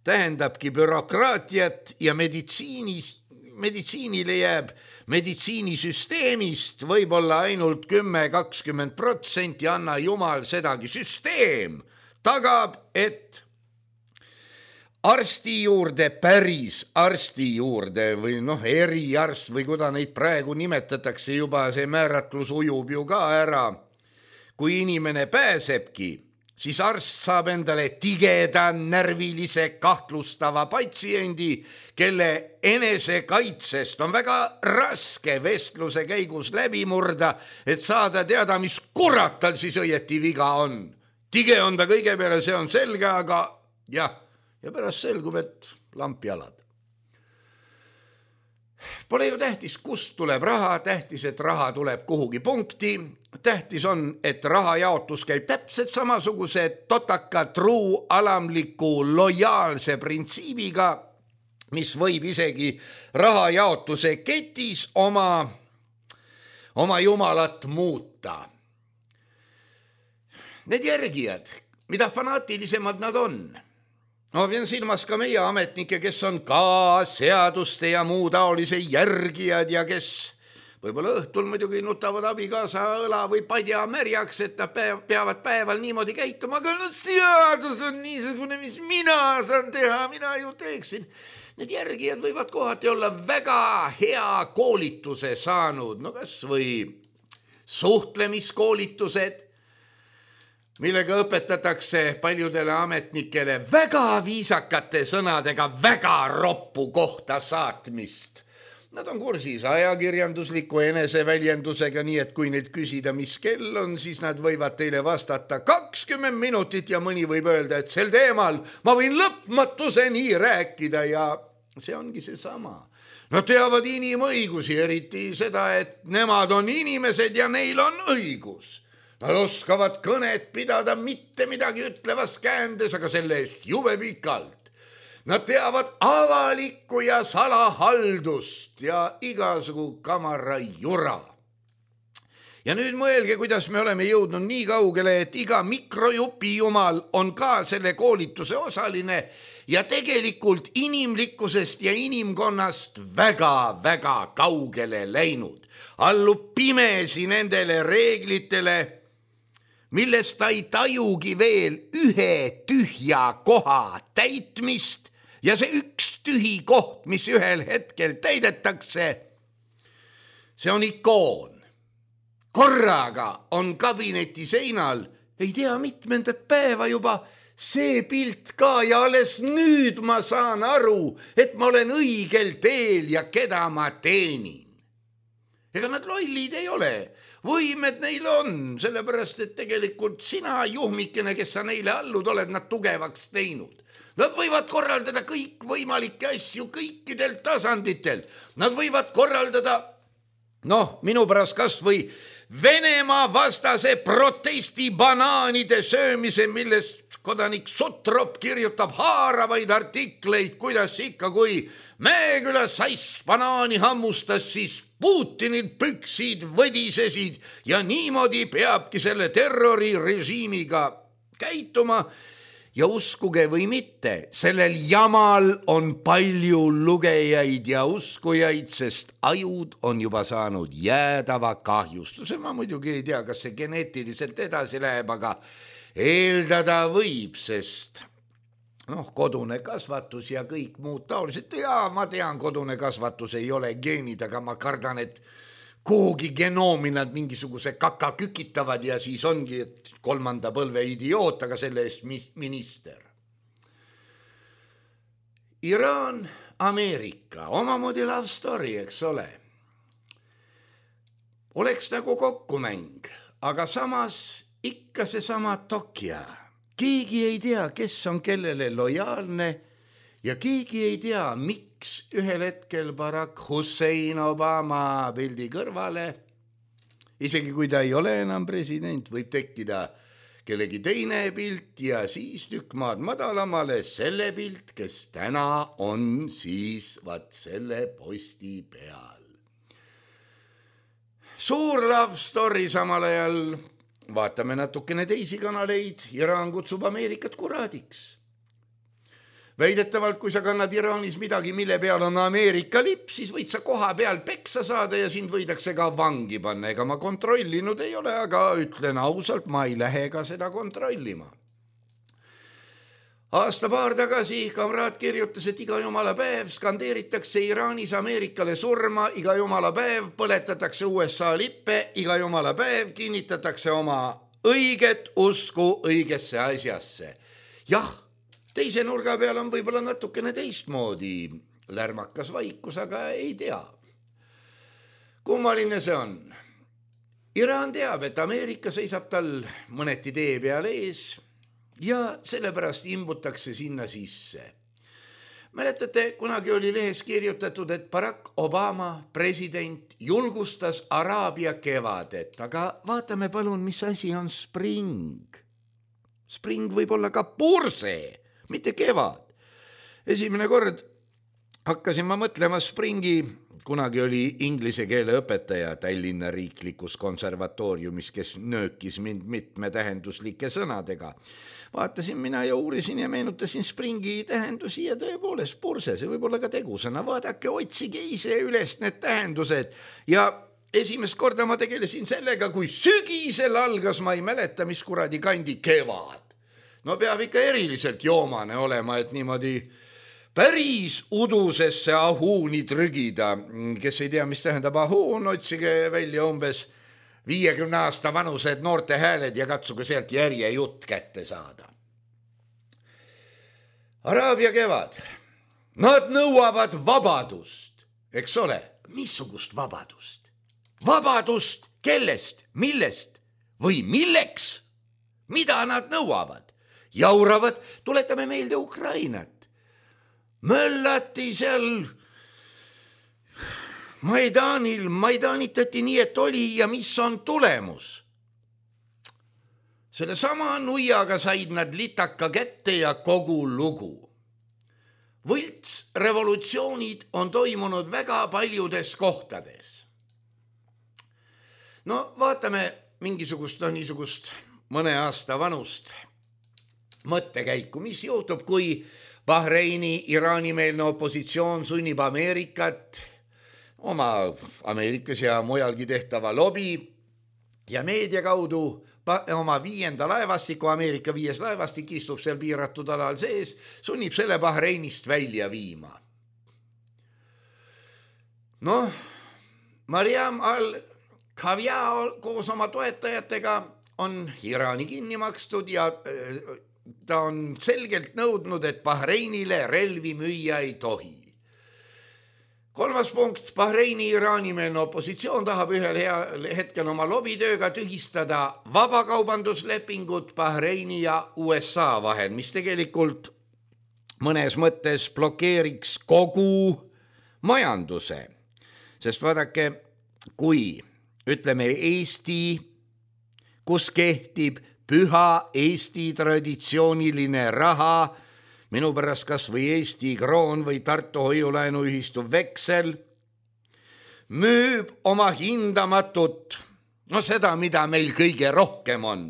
tähendabki bürokraatiat ja meditsiinis, meditsiinile jääb meditsiinisüsteemist võib-olla ainult kümme kakskümmend protsenti, anna jumal sedagi. Süsteem tagab, et arsti juurde, päris arsti juurde või noh, eriarst või kuda neid praegu nimetatakse, juba see määratlus ujub ju ka ära. Kui inimene pääsebki siis arst saab endale tigeda närvilise kahtlustava patsiendi, kelle enesekaitsest on väga raske vestluse käigus läbi murda, et saada teada, mis kurat tal siis õieti viga on. Tige on ta kõige peale, see on selge, aga jah, ja pärast selgub, et lamp jalad. Pole ju tähtis, kust tuleb raha, tähtis, et raha tuleb kuhugi punkti. Tähtis on, et raha jaotus käib täpselt samasuguse totaka, truu, alamliku, lojaalse printsiibiga, mis võib isegi raha jaotuse ketis oma, oma jumalat muuta. Need järgijad, mida fanaatilisemad nad on, ma pean silmas ka meie ametnikke, kes on ka seaduste ja muu taolise järgijad ja kes võib-olla õhtul muidugi nutavad abikaasa õla või padja märjaks, et nad peavad päeval niimoodi käituma, aga no seadus on niisugune, mis mina saan teha, mina ju teeksin. Need järgijad võivad kohati olla väga hea koolituse saanud, no kas või suhtlemiskoolitused, millega õpetatakse paljudele ametnikele väga viisakate sõnadega väga roppu kohta saatmist. Nad on kursis ajakirjandusliku eneseväljendusega, nii et kui nüüd küsida, mis kell on, siis nad võivad teile vastata kakskümmend minutit ja mõni võib öelda, et sel teemal ma võin lõpmatuseni rääkida ja see ongi see sama. Nad teavad inimõigusi, eriti seda, et nemad on inimesed ja neil on õigus. Nad oskavad kõnet pidada mitte midagi ütlevas käändes, aga selle eest jube pikalt. Nad teavad avalikku ja salahaldust ja igasugu kamara jura. Ja nüüd mõelge, kuidas me oleme jõudnud nii kaugele, et iga mikrojupi jumal on ka selle koolituse osaline ja tegelikult inimlikkusest ja inimkonnast väga-väga kaugele läinud. Allub pimesi nendele reeglitele, millest ta ei tajugi veel ühe tühja koha täitmist ja see üks tühi koht, mis ühel hetkel täidetakse, see on ikoon. Korraga on kabineti seinal, ei tea mitmendat päeva juba, see pilt ka ja alles nüüd ma saan aru, et ma olen õigel teel ja keda ma teenin. Ega nad lollid ei ole. Võimed neil on, sellepärast, et tegelikult sina juhmikene, kes sa neile allud oled, nad tugevaks teinud. Nad võivad korraldada kõik võimalikke asju kõikidel tasanditel. Nad võivad korraldada, noh, minu pärast kas või Venemaa vastase protesti banaanide söömise, millest kodanik Sutrop kirjutab haaravaid artikleid, kuidas ikka, kui Mäeküla sass banaani hammustas, siis Putinil püksid võdisesid ja niimoodi peabki selle terrorirežiimiga käituma. Ja uskuge või mitte, sellel jamal on palju lugejaid ja uskujaid, sest ajud on juba saanud jäädava kahjustuse. Ma muidugi ei tea, kas see geneetiliselt edasi läheb, aga eeldada võib, sest noh, kodune kasvatus ja kõik muud taolised. Ja ma tean, kodune kasvatus ei ole geenid, aga ma kardan, et kuhugi genoomi nad mingisuguse kaka kükitavad ja siis ongi, et kolmanda põlve idioot, aga selle eest minister. Iraan, Ameerika, omamoodi love story, eks ole. Oleks nagu kokkumäng, aga samas ikka see sama Tokja. Keegi ei tea, kes on kellele lojaalne ja keegi ei tea, miks ühel hetkel Barack Hussein Obama pildi kõrvale, isegi kui ta ei ole enam president, võib tekkida kellegi teine pilt ja siis tükk maad madalamale selle pilt, kes täna on siis vaat selle posti peal. Suur love story samal ajal. Vaatame natukene teisi kanaleid. Iraan kutsub Ameerikat kuraadiks. Väidetavalt, kui sa kannad Iraanis midagi, mille peal on Ameerika lipp, siis võid sa koha peal peksa saada ja sind võidakse ka vangi panna. Ega ma kontrollinud ei ole, aga ütlen ausalt, ma ei lähe ka seda kontrollima. Aasta paar tagasi kamraad kirjutas, et iga jumala päev skandeeritakse Iraanis Ameerikale surma, iga jumala päev põletatakse U S A lippe, iga jumala päev kinnitatakse oma õiget usku õigesse asjasse. Jah, teise nurga peal on võib-olla natukene teistmoodi lärmakas vaikus, aga ei tea. Kummaline see on. Iraan teab, et Ameerika seisab tal mõneti tee peal ees ja sellepärast imbutakse sinna sisse. Mäletate, kunagi oli lehes kirjutatud, et Barack Obama, president, julgustas Araabia kevadet, aga vaatame palun, mis asi on spring. Spring võib olla ka purse, mitte kevad. Esimene kord hakkasin ma mõtlema springi, kunagi oli inglise keele õpetaja Tallinna riiklikus konservatooriumis, kes nöökis mind mitme tähenduslike sõnadega. Vaatasin mina ja uurisin ja meenutasin springi tähendusi ja tõepoolest purse, see võib olla ka tegusõna. Vaadake, otsige ise üles need tähendused ja esimest korda ma tegelesin sellega, kui sügisel algas, ma ei mäleta, mis kuradi kandi kevad. No peab ikka eriliselt joomane olema, et niimoodi päris udusesse ahuuni trügida. Kes ei tea, mis tähendab ahuun, otsige välja umbes viiekümne aasta vanused noorte hääled ja katsuge sealt järje jutt kätte saada. Araabia kevad. Nad nõuavad vabadust, eks ole? Missugust vabadust? Vabadust kellest, millest või milleks? Mida nad nõuavad? Jauravad, tuletame meelde Ukrainat. Möllati seal Maidanil, Maidanitati nii, et oli ja mis on tulemus. Selle sama nuiaga said nad litaka kätte ja kogu lugu. Võlts revolutsioonid on toimunud väga paljudes kohtades. No vaatame mingisugust, no niisugust mõne aasta vanust mõttekäiku, mis juhtub, kui Bahreini Iraani-meelne opositsioon sunnib Ameerikat oma Ameerikas ja mujalgi tehtava lobi ja meedia kaudu oma viienda laevastiku, Ameerika viies laevastik istub seal piiratud alal sees, sunnib selle Bahreinist välja viima. Noh, Mariam al-Kavja koos oma toetajatega on Iraani kinni makstud ja ta on selgelt nõudnud, et Bahreinile relvi müüa ei tohi. Kolmas punkt, Bahreini Iraani-meelne opositsioon tahab ühel hea hetkel oma lobitööga tühistada vabakaubanduslepingut Bahreini ja U S A vahel, mis tegelikult mõnes mõttes blokeeriks kogu majanduse. Sest vaadake, kui ütleme Eesti, kus kehtib püha Eesti traditsiooniline raha, minu pärast kas või Eesti kroon või Tartu hoiulaenuühistu veksel, müüb oma hindamatut, no seda, mida meil kõige rohkem on,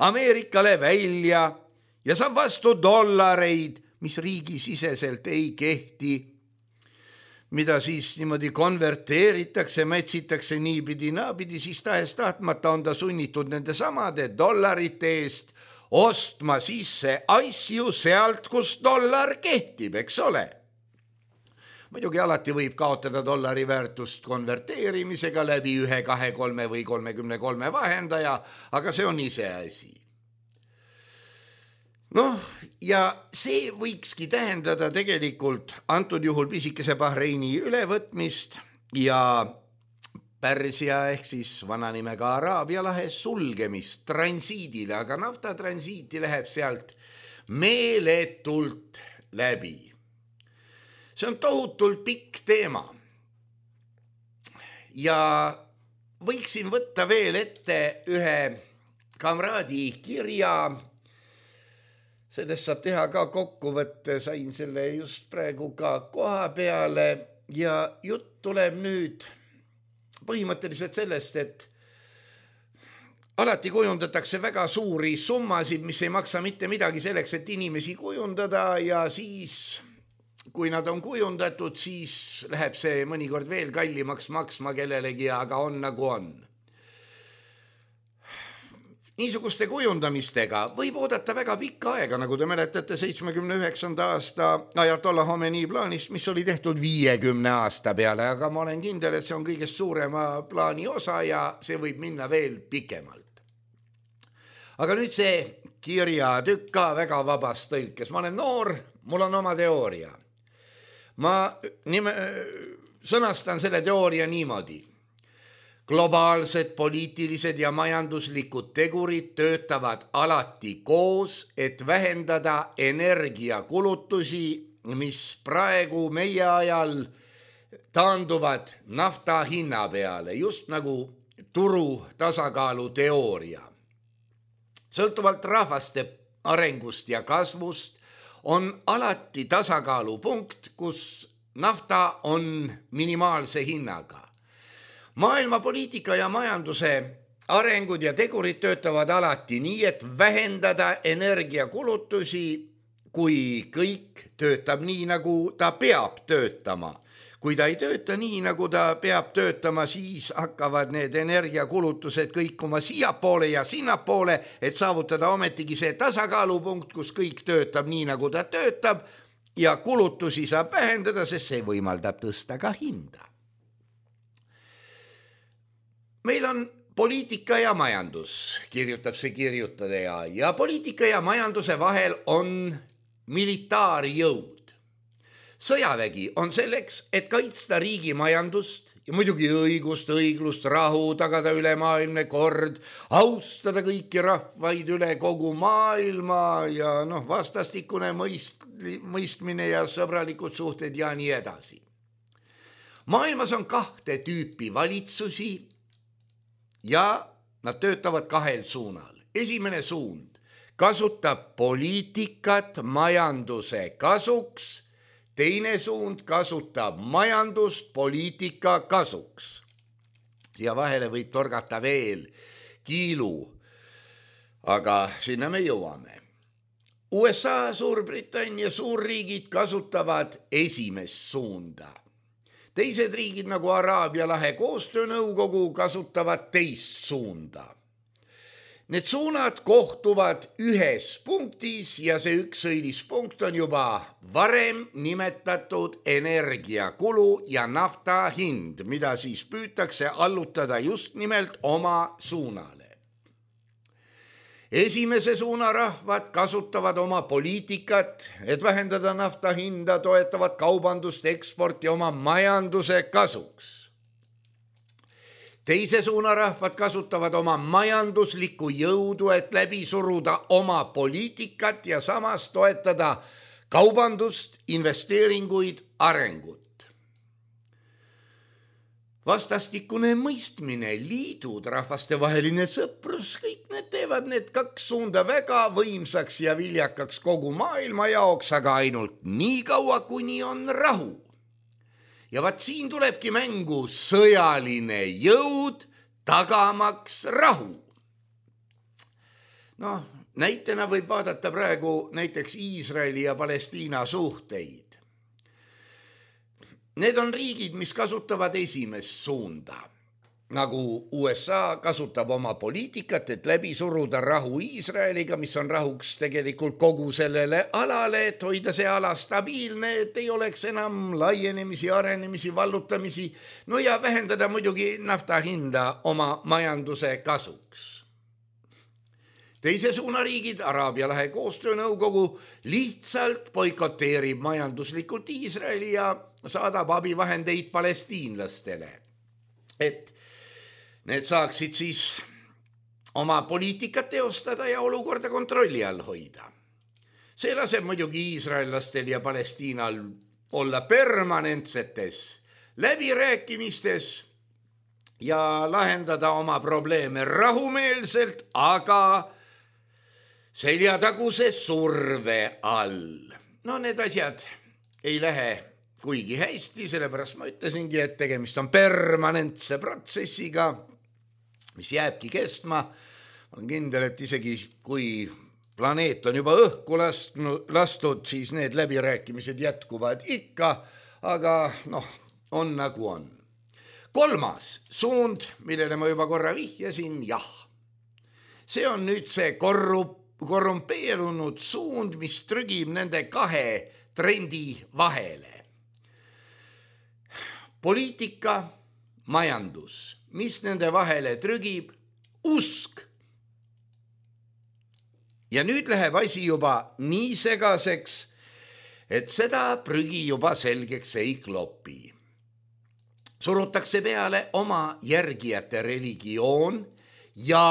Ameerikale välja ja saab vastu dollareid, mis riigisiseselt ei kehti, mida siis niimoodi konverteeritakse, mätsitakse niipidi, naapidi, siis tahes tahtmata on ta sunnitud nende samade dollarite eest ostma sisse asju sealt, kus dollar kehtib, eks ole. Muidugi alati võib kaotada dollari väärtust konverteerimisega läbi ühe, kahe, kolme või kolmekümne kolme vahendaja, aga see on ise asi. Noh, ja see võikski tähendada tegelikult antud juhul pisikese Bahreini ülevõtmist ja Pärsia ehk siis vana nimega Araabia lahe sulgemist transiidile, aga nafta transiiti läheb sealt meeletult läbi. See on tohutult pikk teema. Ja võiksin võtta veel ette ühe kamraadi kirja. Sellest saab teha ka kokkuvõtte, sain selle just praegu ka koha peale ja jutt tuleb nüüd põhimõtteliselt sellest, et alati kujundatakse väga suuri summasid, mis ei maksa mitte midagi selleks, et inimesi kujundada ja siis, kui nad on kujundatud, siis läheb see mõnikord veel kallimaks maksma kellelegi, aga on nagu on. Niisuguste kujundamistega võib oodata väga pikka aega, nagu te mäletate seitsmekümne üheksanda aasta Ajatollah Khomeini plaanist, mis oli tehtud viiekümne aasta peale, aga ma olen kindel, et see on kõigest suurema plaani osa ja see võib minna veel pikemalt. aga nüüd see kirjatükk ka väga vabas tõlkes. Ma olen noor, mul on oma teooria. Ma nime, sõnastan selle teooria niimoodi. Globaalsed poliitilised ja majanduslikud tegurid töötavad alati koos, et vähendada energiakulutusi, mis praegu meie ajal taanduvad nafta hinna peale, just nagu turu tasakaalu teooria. Sõltuvalt rahvaste arengust ja kasvust on alati tasakaalupunkt, kus nafta on minimaalse hinnaga. Maailma poliitika ja majanduse arengud ja tegurid töötavad alati nii, et vähendada energiakulutusi, kui kõik töötab nii, nagu ta peab töötama. Kui ta ei tööta nii, nagu ta peab töötama, siis hakkavad need energiakulutused kõikuma siiapoole ja sinnapoole, et saavutada ometigi see tasakaalupunkt, kus kõik töötab nii, nagu ta töötab ja kulutusi saab vähendada, sest see võimaldab tõsta ka hinda. Meil on poliitika ja majandus, kirjutab see kirjutaja, ja poliitika ja majanduse vahel on militaarjõud. Sõjavägi on selleks, et kaitsta riigi majandust ja muidugi õigust, õiglust, rahu, tagada ülemaailmne kord, austada kõiki rahvaid üle kogu maailma ja noh, vastastikune mõist, mõistmine ja sõbralikud suhted ja nii edasi. Maailmas on kahte tüüpi valitsusi ja nad töötavad kahel suunal. Esimene suund kasutab poliitikat majanduse kasuks, teine suund kasutab majandust poliitika kasuks. Siia vahele võib torgata veel kiilu, aga sinna me jõuame. U S A, Suurbritannia suurriigid kasutavad esimest suunda. Teised riigid nagu Araabia lahe koostöönõukogu kasutavad teist suunda. Need suunad kohtuvad ühes punktis ja see üks õilis punkt on juba varem nimetatud energiakulu ja nafta hind, mida siis püütakse allutada just nimelt oma suunale. Esimese suuna rahvad kasutavad oma poliitikat, et vähendada nafta hinda, toetavad kaubandust, eksporti oma majanduse kasuks. Teise suuna rahvad kasutavad oma majanduslikku jõudu, et läbi suruda oma poliitikat ja samas toetada kaubandust, investeeringuid, arengut. Vastastikune mõistmine, liidud, rahvastevaheline sõprus, kõik need teevad need kaks suunda väga võimsaks ja viljakaks kogu maailma jaoks, aga ainult nii kaua, kuni on rahu. Ja vaat siin tulebki mängu sõjaline jõud tagamaks rahu. No, näitena võib vaadata praegu näiteks Iisraeli ja Palestiina suhteid. Need on riigid, mis kasutavad esimest suunda, nagu U S A kasutab oma poliitikat, et läbi suruda rahu Iisraeliga, mis on rahuks tegelikult kogu sellele alale, et hoida see ala stabiilne, et ei oleks enam laienemisi, arenemisi, vallutamisi, no ja vähendada muidugi nafta hinda oma majanduse kasuks. Teise suuna riigid, Araabia lahe koostöönõukogu, lihtsalt boikoteerib majanduslikult Iisraeli ja saadab abivahendeid palestiinlastele, et need saaksid siis oma poliitikat teostada ja olukorda kontrolli all hoida. See laseb muidugi iisraellastel ja Palestiinal olla permanentsetes läbirääkimistes ja lahendada oma probleeme rahumeelselt, aga seljataguse surve all. No need asjad ei lähe kuigi hästi, sellepärast ma ütlesingi, et tegemist on permanentse protsessiga, mis jääbki kestma. Ma olen kindel, et isegi kui planeet on juba õhku lastud, siis need läbirääkimised jätkuvad ikka, aga noh, on nagu on. Kolmas suund, millele ma juba korra vihjasin, jah. See on nüüd see korrup korrumpeerunud suund, mis trügib nende kahe trendi vahele. Poliitika, majandus, mis nende vahele trügib? Usk. ja nüüd läheb asi juba nii segaseks, et seda prügi juba selgeks ei klopi. Surutakse peale oma järgijate religioon ja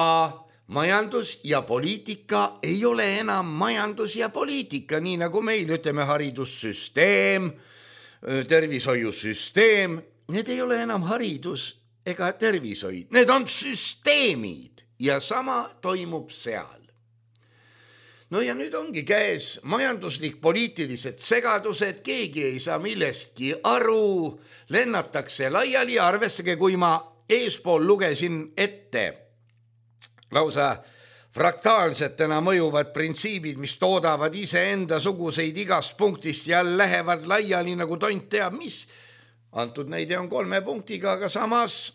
majandus ja poliitika ei ole enam majandus ja poliitika, nii nagu meil ütleme haridussüsteem, tervishoiusüsteem, need ei ole enam haridus ega tervishoid, need on süsteemid ja sama toimub seal. No ja nüüd ongi käes majanduslik poliitilised segadused, keegi ei saa millestki aru, lennatakse laiali ja arvestage, kui ma eespool lugesin ette lausa fraktaalsetena mõjuvad printsiibid, mis toodavad iseenda suguseid igast punktist ja lähevad laiali nagu tont teab mis. Antud näide on kolme punktiga, aga samas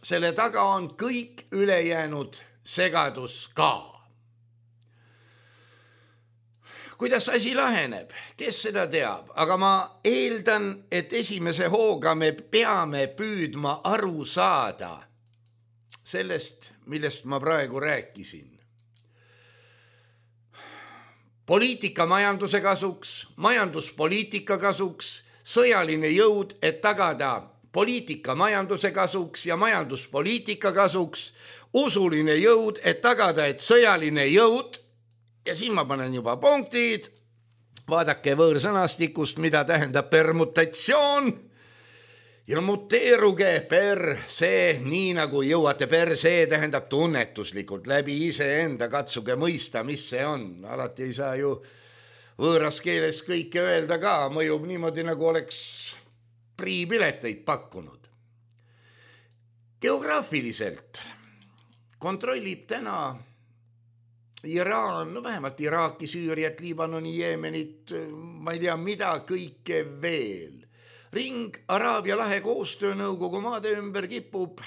selle taga on kõik ülejäänud segadus ka. Kuidas asi laheneb, kes seda teab, aga ma eeldan, et esimese hooga me peame püüdma aru saada sellest, millest ma praegu rääkisin. Poliitika majanduse kasuks, majanduspoliitika kasuks, sõjaline jõud, et tagada poliitika majanduse kasuks ja majanduspoliitika kasuks, usuline jõud, et tagada, et sõjaline jõud, ja siin ma panen juba punktid, vaadake võõrsõnastikust, mida tähendab permutatsioon, ja muteeruge per see, nii nagu jõuate per see, tähendab tunnetuslikult läbi iseenda, katsuge mõista, mis see on. Alati ei saa ju võõras keeles kõike öelda ka, mõjub niimoodi, nagu oleks priipileteid pakkunud. Geograafiliselt kontrollib täna Iraan, no vähemalt Iraaki, Süüriat, Liibanoni, Jeemenit, ma ei tea, mida kõike veel. Ring Araabia lahe koostöönõukogu maade ümber kipub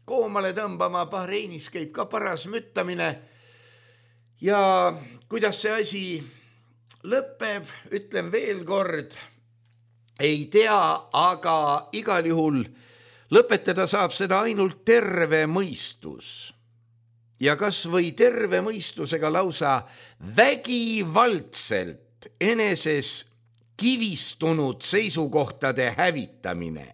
koomale tõmbama, Bahreinis käib ka paras müttamine ja kuidas see asi lõpeb, ütlen veel kord, ei tea, aga igal juhul lõpetada saab seda ainult terve mõistus. Ja kas või terve mõistusega lausa vägivaldselt eneses kivistunud seisukohtade hävitamine.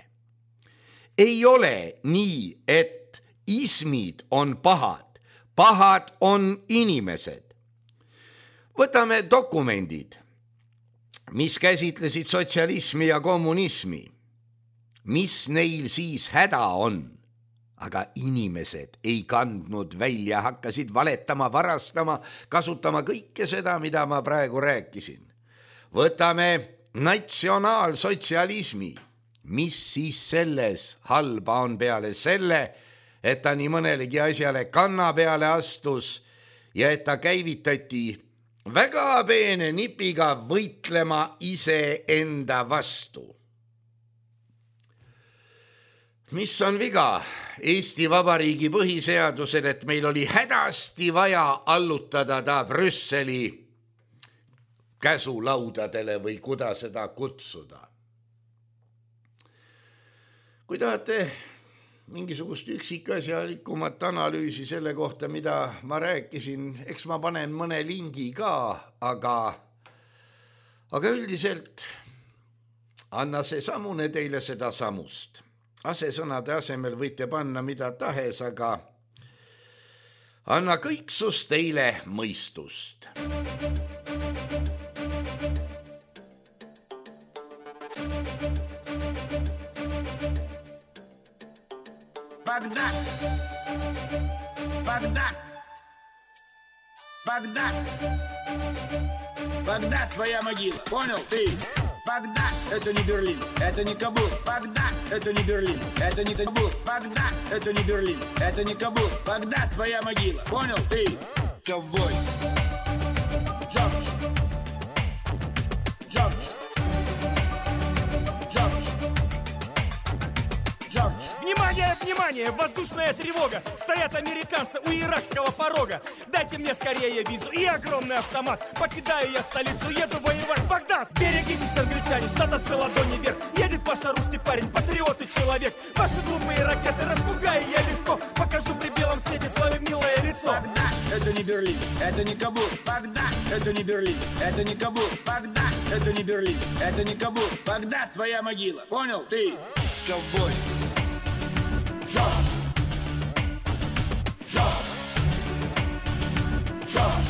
Ei ole nii, et ismid on pahad, pahad on inimesed. Võtame dokumendid, mis käsitlesid sotsialismi ja kommunismi. Mis neil siis häda on? Aga inimesed ei kandnud välja, hakkasid valetama, varastama, kasutama kõike seda, mida ma praegu rääkisin. Võtame natsionaalsotsialismi. Mis siis selles halba on peale selle, et ta nii mõnelegi asjale kanna peale astus ja et ta käivitati väga peene nipiga võitlema iseenda vastu. Mis on viga Eesti Vabariigi põhiseadusel, et meil oli hädasti vaja allutada ta Brüsseli käsulaudadele või kuda seda kutsuda. Kui tahate mingisugust üksikasjalikumat analüüsi selle kohta, mida ma rääkisin, eks ma panen mõne lingi ka, aga, aga üldiselt anna see samune teile seda samust. Asesõnade asemel võite panna mida tahes, aga anna kõiksus teile mõistust. Багдад! Багдад! Багдад! Багдад, твоя могила. Понял ты? Багдад, это не Берлин, это не Кабул. Багдад, это не Берлин, это не Кабул. Багдад, это не Берлин, это не Кабул. Багдад, твоя могила. Понял ты? Ковбой. Джордж. Джордж. Джордж. Джордж. Внимание, внимание! Воздушная тревога! Стоят американцы у иракского порога! Дайте мне скорее визу и огромный автомат! Покидаю я столицу, еду воевать в Багдад! Берегитесь, англичане, штата ладони вверх! Едет Паша, русский парень, патриот и человек! Ваши глупые ракеты распугаю я легко! Покажу при белом свете свое милое лицо! Багдад! это не Берлин, это не Кабул. Багдад, это не Берлин, это не Кабул. Багдад, это не Берлин, это не Кабул. Багдад, твоя могила. Понял, ты, ковбой? Жорж! Жорж! Жорж!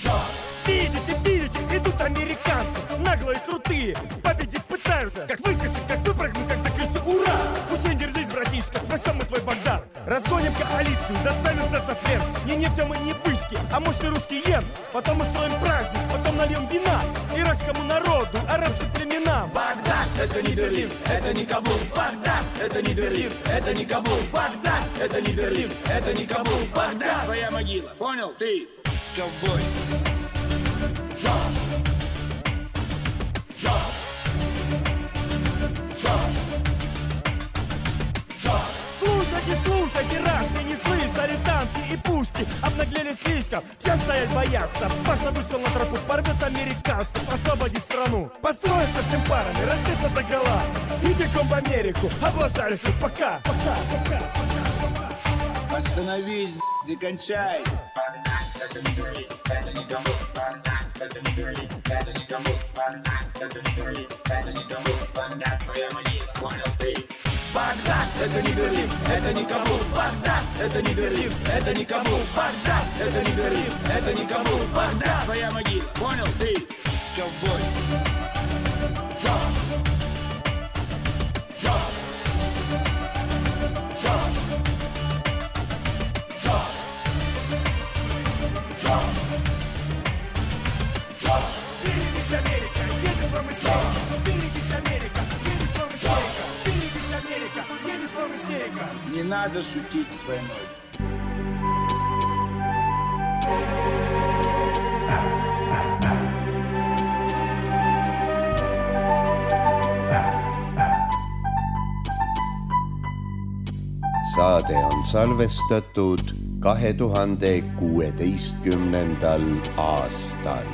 Жорж! Видите, видите, идут американцы, наглые, крутые, победить пытаются. Как выскочим, как выпрыгну, как закричу «Ура!» Хусейн, держись, братишка, спасем мы твой Багдад. Разгоним коалицию, заставим сдаться в плен. Не нефтем и не пышки, а мощный русский йен. Потом устроим праздник, потом нальем вина иракскому народу, арабским племенам. Багдад, это не Берлин, это не Кабул. Багдад, это не Берлин, это не Кабул. Багдад, это не Берлин, это не Кабул. Багдад, твоя могила. Понял, ты, ковбой? Жорж! Жорж! Жорж! Жорж! Слушайте, слушайте, раз вы не слышали, танки и пушки обнаглели слишком, всем стоять бояться. Паша вышел на тропу, порвет американцев, освободить страну. Построиться всем парами, раздеться до гола и бегом в Америку, облажались. Пока, пока, пока, пока. Остановись, не кончай. Багдад, это не Берлин, это не Кабул. Багдад, это не Берлин, это не Кабул. Багдад, это не Берлин, это не Кабул. Багдад, твоя могила, понял ты? Багдад, это не Берлин, это не Кабул. Багдад, это не Берлин, это не Кабул. Багдад, это не Берлин, это не Кабул. Багдад, твоя могила, понял ты? Ковбой. Жорж! Жорж! Жорж! Жорж! Жорж! Жорж! Берегись, Америка, едет вам из Америка. Берегись, Америка, едет вам из Америка. Берегись, Америка, едет вам из Америка. Не надо шутить с войной. Saade on salvestatud kahe tuhande kuueteistkümnendal aastal.